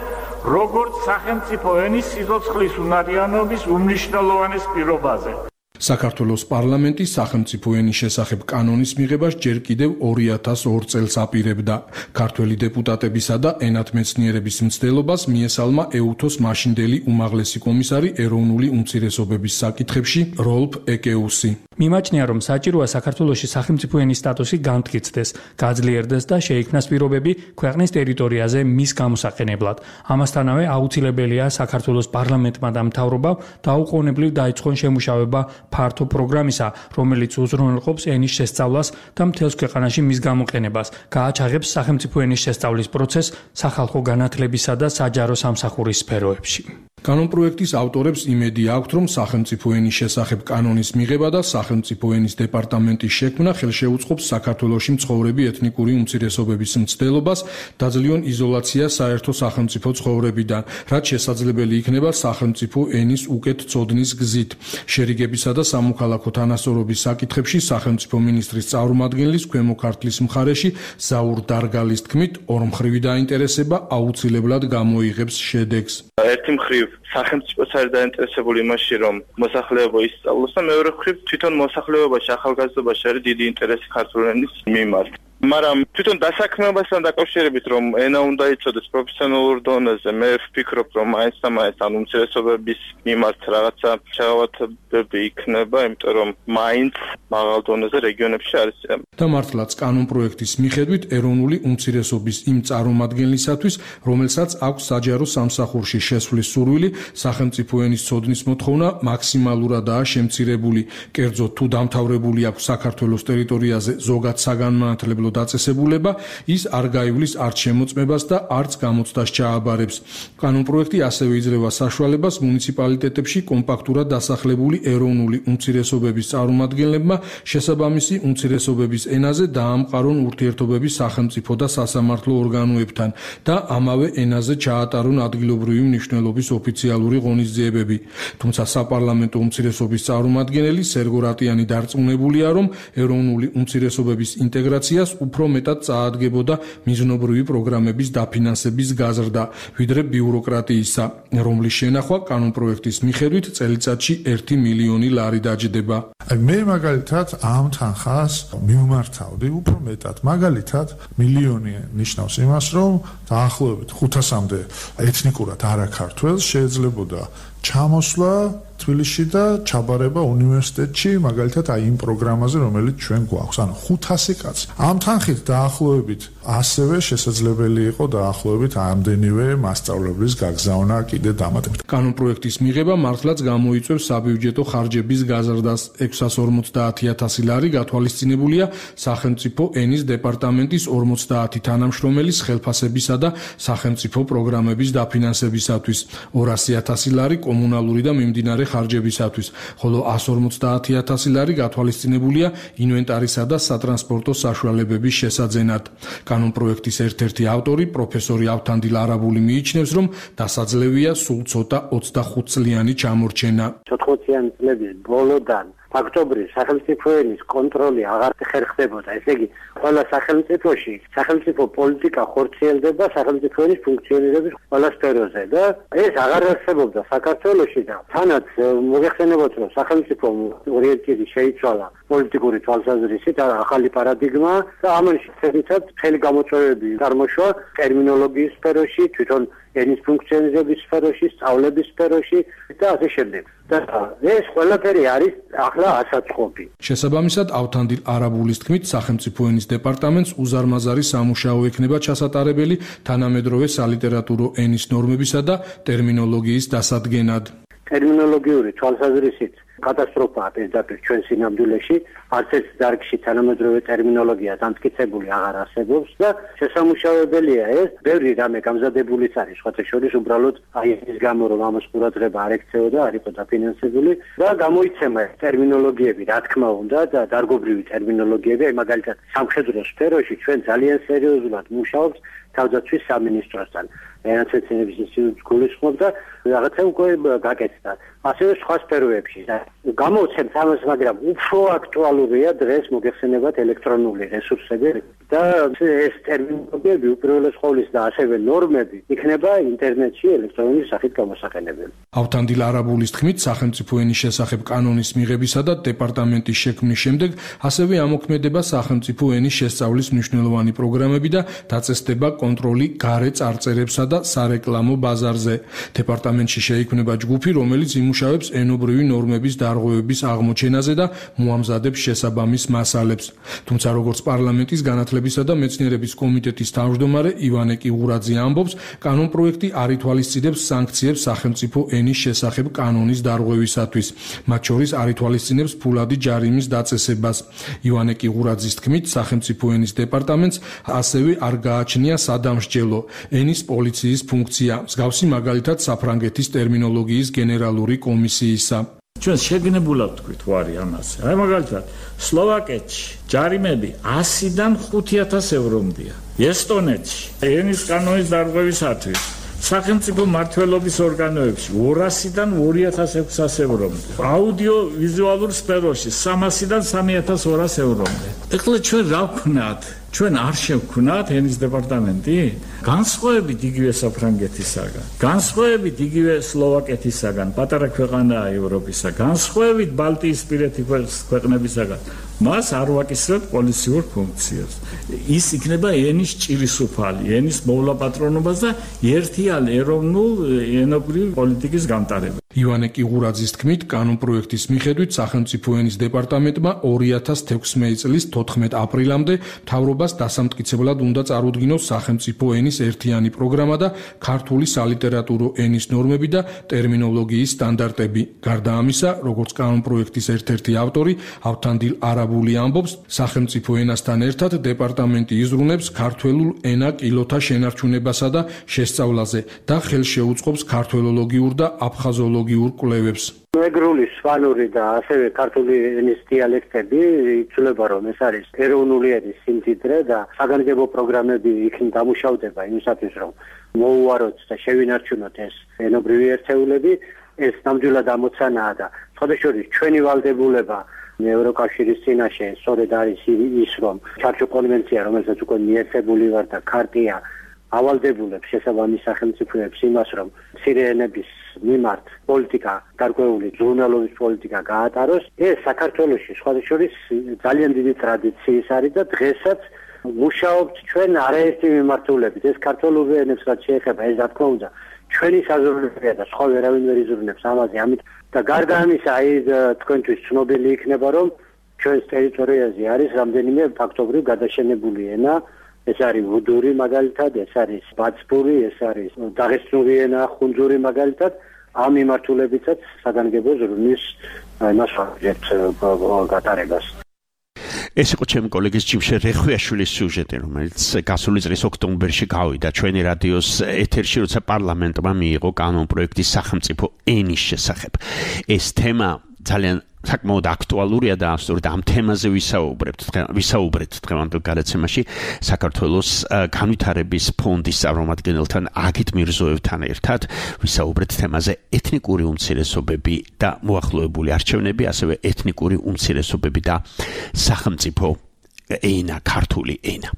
როგორც სახელმწიფო ენის სიცოცხლის უნარიანობის უმნიშვნელოვანეს პირობაზე. საქართველოს პარლამენტი სახელმწიფო ენის შესახებ კანონის მიღებას ჯერ კიდევ 2002 წელს აპირებდა. ქართველი დეპუტატებისა და ენათმეცნიერების მცდელობას მიესალმა ეუთოს მაშინდელი უმაღლესი კომისარი ეროვნული უმცირესობების საკითხებში როლფ ეკეუსი. მიმაჩნია, რომ საჭიროა საქართველოში სახელმწიფო ენის სტატუსი განმტკიცდეს, გაძლიერდეს და შეიქმნას პირობები ქვეყნის ტერიტორიაზე მის გამოსაყენებლად. ამასთანავე აუცილებელია საქართველოს პარლამენტმა და მთავრობამ დაუყოვნებლივ დაიწყონ შემუშავება ფართო პროგრამისა, რომელიც უზრუნველყოფს ენის შესწავლას და მთელს ქვეყანაში მის გამოყენებას, გააჩაღებს სახელმწიფო ენის შესწავლის პროცესს სახალხო განათლებისა და საჯარო სამსახურის სფეროებში. კანონპროექტის ავტორებს იმედი აქვთ, რომ სახელმწიფო ენის შესახებ კანონის მიღება და სახელმწიფო ენის დეპარტამენტის შექმნა ხელშეუწყობს საქართველოში მცხოვრები ეთნიკური უმცირესობების მცდელობას დაძლიონ იზოლაციას საერთო სახელმწიფო ცხოვრებიდან, რაც შესაძლებელი იქნება სახელმწიფო ენის უკეთ წოდნის გზით. შერიგებისა და სამოქალაქო თანასწორობის საკითხებში სახელმწიფო მინისტრის წარმომადგენლის ქვემო ქართლის მხარეში ზაურ დარგალის თქმით, ორმხრივი დაინტერესება აუცილებლად გამოიღებს შედეგს. ერთი მხრივ სახელმწიფოც არის დაინტერესებული იმაში, რომ მოსახლეობა ისწავლოს და მეორე მხრივ თვითონ მოსახლეობაში, ახალგაზრდობაში არის დიდი ინტერესი ქართული ენის მიმართ. მაგრამ თვითონ დასაქმებასთან დაკავშირებით, რომ ენა უნდა იცოდეს პროფესიონალურ დონეზე, მე ვფიქრობ, რომ მაინც და მაინც ან უმცირესობების მიმართ რაღაცა შეღავათებები იქნება, იმიტომ რომ მაინც მაღალ დონეზე რეგიონებში არის. და მართლაც კანონპროექტის მიხედვით ეროვნული უმცირესობის იმ წარმომადგენლისათვის, რომელსაც აქვს საჯარო სამსახურში შესვლის სურვილი, სახელმწიფო ენის ცოდნის მოთხოვნა მაქსიმალურადაა შემცირებული. კერძოდ, თუ დამთავრებული აქვს საქართველოს ტერიტორიაზე ზოგად საგანმანათლებლო დაწესებულება, ის არ გაივლის არც შემოწმებას და არც გამოცდას ჩააბარებს. კანონპროექტი ასევე იძლევა საშუალებას მუნიციპალიტეტებში კომპაქტურად დასახლებული ეროვნული უმცირესობების წარმომადგენლებმა შესაბამისი უმცირესობების ენაზე დაამყარონ ურთიერთობები სახელმწიფო და სასამართლო ორგანოებთან და ამავე ენაზე ჩაატარონ ადგილობრივი მნიშვნელობის ოფიციალური ღონისძიებები. თუმცა საპარლამენტო უმცირესობის წარმომადგენელი სერგო რატიანი დარწმუნებულია, რომ ეროვნული უმცირესობების ინტეგრაციას უფრო მეტად წაადგებოდა მიზნობრივი პროგრამების დაფინანსების გაზრდა, ვიდრე ბიუროკრატიისა, რომლის შენახვა კანონპროექტის მიხედვით წელიწადში 1 მილიონი ლარი დაჯდება. მე მაგალითად ამ თანხას მივმართავდი უფრო მეტად. მაგალითად, მილიონი ნიშნავს იმას, რომ დაახლოებით 500-მდე ეთნიკურად არაქართველს შეიძლებოდა ჩამოსვლა თბილისში და ჩაბარება უნივერსიტეტში, მაგალითად აი იმ პროგრამაზე, რომელიც ჩვენ გვაქვს. ანუ 500 კაცი. ამ თანხით დაახლოებით ასევე შესაძლებელი იყო დაახლოებით ამდენივე მასწავლებლის გაგზავნა კიდე დამატებით. კანონპროექტის მიღება მართლაც გამოიწვევს საბიუჯეტო ხარჯების გაზრდას. 650.000 ლარი გათვალისწინებულია სახელმწიფო ენის დეპარტამენტის 50 თანამშრომელის ხელფასებისა და სახელმწიფო პროგრამების დაფინანსებისათვის, 200.000 ლარი კომუნალური და მიმდინარე ხარჯებისათვის, ხოლო 150.000 ლარი გათვალისწინებულია ინვენტარისა და სატრანსპორტო საშუალებების შესაძენად. კანონპროექტის ერთ-ერთი ავტორი, პროფესორი ავთანდილ არაბული მიიჩნევს, რომ დასაძლევია სულ ცოტა 25 წლიანი ჩამორჩენა. 14 წლების ბოლოდან ფაქტობრივ სახელმწიფო ენის კონტროლი აღარ ხერხდებოდა. ესე იგი, ყველა სახელმწიფოში სახელმწიფო პოლიტიკა ხორციელდება სახელმწიფო ენის ფუნქციონირების ყველა სფეროზე და ეს აღარ არსებობდა საქართველოში და თანაც მოგეხსენებათ, რომ სახელმწიფო ორიენტირი შეიცვალა პოლიტიკური თვალსაზრისით, ახალი პარადიგმა და ამან შესაძლებლად მთელი გამოწვევები წარმოშვა ტერმინოლოგიის სფეროში, თვითონ ენის ფუნქციონირების სფეროში, სწავლების სფეროში და ასე შემდეგ. და ეს ყველაფერი არის ახლა ასაწყობი. შესაბამისად, ავთანდილ არაბულის თქმით, სახელმწიფო ენის დეპარტამენტს უზარმაზარი სამუშაო ექნება ჩასატარებელი თანამედროვე სალიტერატურო ენის ნორმებისა და ტერმინოლოგიის დასადგენად. ტერმინოლოგიური თვალსაზრისით კატასტროფაა პირდაპირ ჩვენ სინამდვილეში, არც ერთ დარგში თანამედროვე ტერმინოლოგია დამტკიცებული აღარ არსებობს და შესამუშავებელია ეს, ბევრი რამე გამზადებულიც არის, სხვათა შორის უბრალოდ აი ის გამო, რომ ამას ყურადღება არ ექცეოდა, არ იყო დაფინანსებული და გამოიცემა ტერმინოლოგიები, რა თქმა უნდა, და დარგობრივი ტერმინოლოგიები, აი მაგალითად სამხედრო სფეროში ჩვენ ძალიან სერიოზულად მუშაობთ თავდაცვის სამინისტროსთან. ენაცეცინების ინსტიტუტს გულისხმობ და რაღაცა უკვე გაკეთდა. ასევე სხვა სფეროებში გამოვცემთ ამას, მაგრამ უფრო აქტუალურია დღეს მოგეხსენებათ ელექტრონული რესურსები და ეს ტერმინოლოგიები უპირველეს ყოვლისა და ასევე ნორმები იქნება ინტერნეტში ელექტრონული სახით გამოსაყენებელი. ავთანდილ არაბულის თქმით, სახელმწიფო ენის შესახებ კანონის მიღებისა და დეპარტამენტის შექმნის შემდეგ ასევე ამოქმედება სახელმწიფო ენის შესწავლის მნიშვნელოვანი პროგრამები და დაწესდება კონტროლი გარე წარწერებსა და სარეკლამო ბაზარზე. დეპარტამენტში შეიქმნება ჯგუფი, რომელიც იმუშავებს ენობრივი ნორმების დარღვევების აღმოჩენაზე და მოამზადებს შესაბამის მასალებს. თუმცა როგორც პარლამენტის განათლებისა და მეცნიერების კომიტეტის თავმჯდომარე ივანე კიღურაძე ამბობს, კანონპროექტი არ ითვალისწინებს სანქციებს სახელმწიფო ენის შესახებ კანონის დარღვევისათვის. მათ შორის არ ითვალისწინებს ფულადი ჯარიმის დაწესებას. ივანე კიღურაძის თქმით, სახელმწიფო ენის დეპარტამენტს ასევე არ გააჩნია სადამსჯელო ენის პოლიციის ფუნქცია, მსგავსი მაგალითად საფრანგეთის ტერმინოლოგიის გენერალური კომისიისა. ჩვენ შეგნებულად ვთქვით ვარი ამაზე. აი მაგალითად, სლოვაკეთში ჯარიმები 100-დან 5,000 ევრომდია. ესტონეთში ენის კანონის დარღვევისათვის სახელმწიფო მმართველობის ორგანოებში 200-დან 2,600 ევრომდე. აუდიო-ვიზუალურ სფეროში 300-დან 3,200 ევრომდე. ეხლა ჩვენ რა ვქნათ? ჩვენ არ შევქნათ ენის დეპარტამენტი? განსხვავებით იგივე საფრანგეთისაგან, განსხვავებით იგივე სლოვაკეთისაგან, პატარა ქვეყანაა ევროპისა, განსხვავებით ბალტიისპირეთი ქვეყნებისაგან, მას არ ვაკისრებთ პოლიციურ ფუნქციას. ის იქნება ენის ჭირისუფალი, ენის მოვლაპატრონობას და ერთიან ეროვნულ ენობრივ პოლიტიკის გამტარება. ივანე კიღურაძის თქმით, კანონპროექტის მიხედვით სახელმწიფო ენის დეპარტამენტმა 2016 წლის 14 აპრილამდე მთავრობას დასამტკიცებლად უნდა წარუდგინოს სახელმწიფო ენის ერთიანი პროგრამა და ქართული სალიტერატურო ენის ნორმები და ტერმინოლოგიის სტანდარტები. გარდა ამისა, როგორც კანონპროექტის ერთ-ერთი ავტორი, ავთანდილ არაბული ამბობს, სახელმწიფო ენასთან ერთად დეპარტამენტი იზრუნებს ქართველულ ენა-კილოთა შენარჩუნებასა და შესწავლაზე და ხელს შეუწყობს ქართველოლოგიურ და აფხაზოლოგიურ კვლევებს. მეგრული, სვანური და ასევე ქართული ენის დიალექტები იცვლება, რომ ეს არის ეროვნული ენის სიმდიდრე და საგანგებო პროგრამები იქ დამუშავდება იმისათვის, რომ მოუვაროთ და შევინარჩუნოთ ეს ენობრივი ერთეულები. ეს ნამდვილად ამოცანაა და სხვადასხვა ჩვენი ვალდებულება ევროკავშირის წინაშე სწორედ არის ის, რომ ჩარჩო კონვენცია, რომელსაც უკვე მიერთებული ვარ და ქარტია ავალდებულებს შესაბამის სახელმწიფოებს იმას, რომ მცირეენების მიმართ პოლიტიკა, გარკვეული ზრუნველობის პოლიტიკა გაატაროს, ეს საქართველოში სხვათა შორის ძალიან დიდი ტრადიციის არის და დღესაც მუშაობთ ჩვენ არაერთი მიმართულებით. ეს ქართული ენებს რაც შეეხება, ეს რა თქმა უნდა ჩვენი საზრუნველია და სხვა ვერავინ ვერ იზრუნებს ამაზე. ამით და გარდა ამისა, თქვენთვის ცნობილი იქნება, რომ ჩვენს ტერიტორიაზე არის რამდენიმე ფაქტობრივ გადაშენებული ენა. ეს არის ვუდური მაგალითად, ეს არის ბაცბური, ეს არის დაღესტნური ენა, ხუნძური მაგალითად. ამ მიმართულებითაც საგანგებო ზრუნვის მასშტაბით გატარებას. ეს იყო ჩემი კოლეგის ჯიმშე რეხვიაშვილის სიუჟეტი, რომელიც გასული წლის ოქტომბერში გავიდა ჩვენი რადიოს ეთერში, როცა პარლამენტმა მიიღო კანონპროექტი სახელმწიფო ენის შესახებ. ეს თემა ძალიან საკმაოდ აქტუალურია და სწორედ ამ თემაზე ვისაუბრეთ დღევანდელ გადაცემაში საქართველოს განვითარების ფონდის წარმომადგენელთან აგით მირზოევთან ერთად ვისაუბრეთ თემაზე ეთნიკური უმცირესობები და მოახლოებული არჩევნები, ასევე ეთნიკური უმცირესობები და სახელმწიფო ენა, ქართული ენა.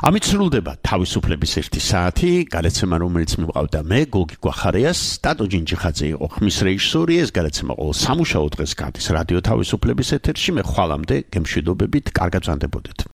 ამით სრულდება თავისუფლების 1 საათი, გადაცემა რომელიც მივყავდა მე, გოგი გვახარიას, ტატო ჯინჯიხაძე იყო ხმის რეჟისორი, ეს გადაცემა ყოველ სამუშაო დღეს გადის რადიო თავისუფლების ეთერში, მე ხვალამდე გემშვიდობებით, კარგად ვზანდებოდეთ.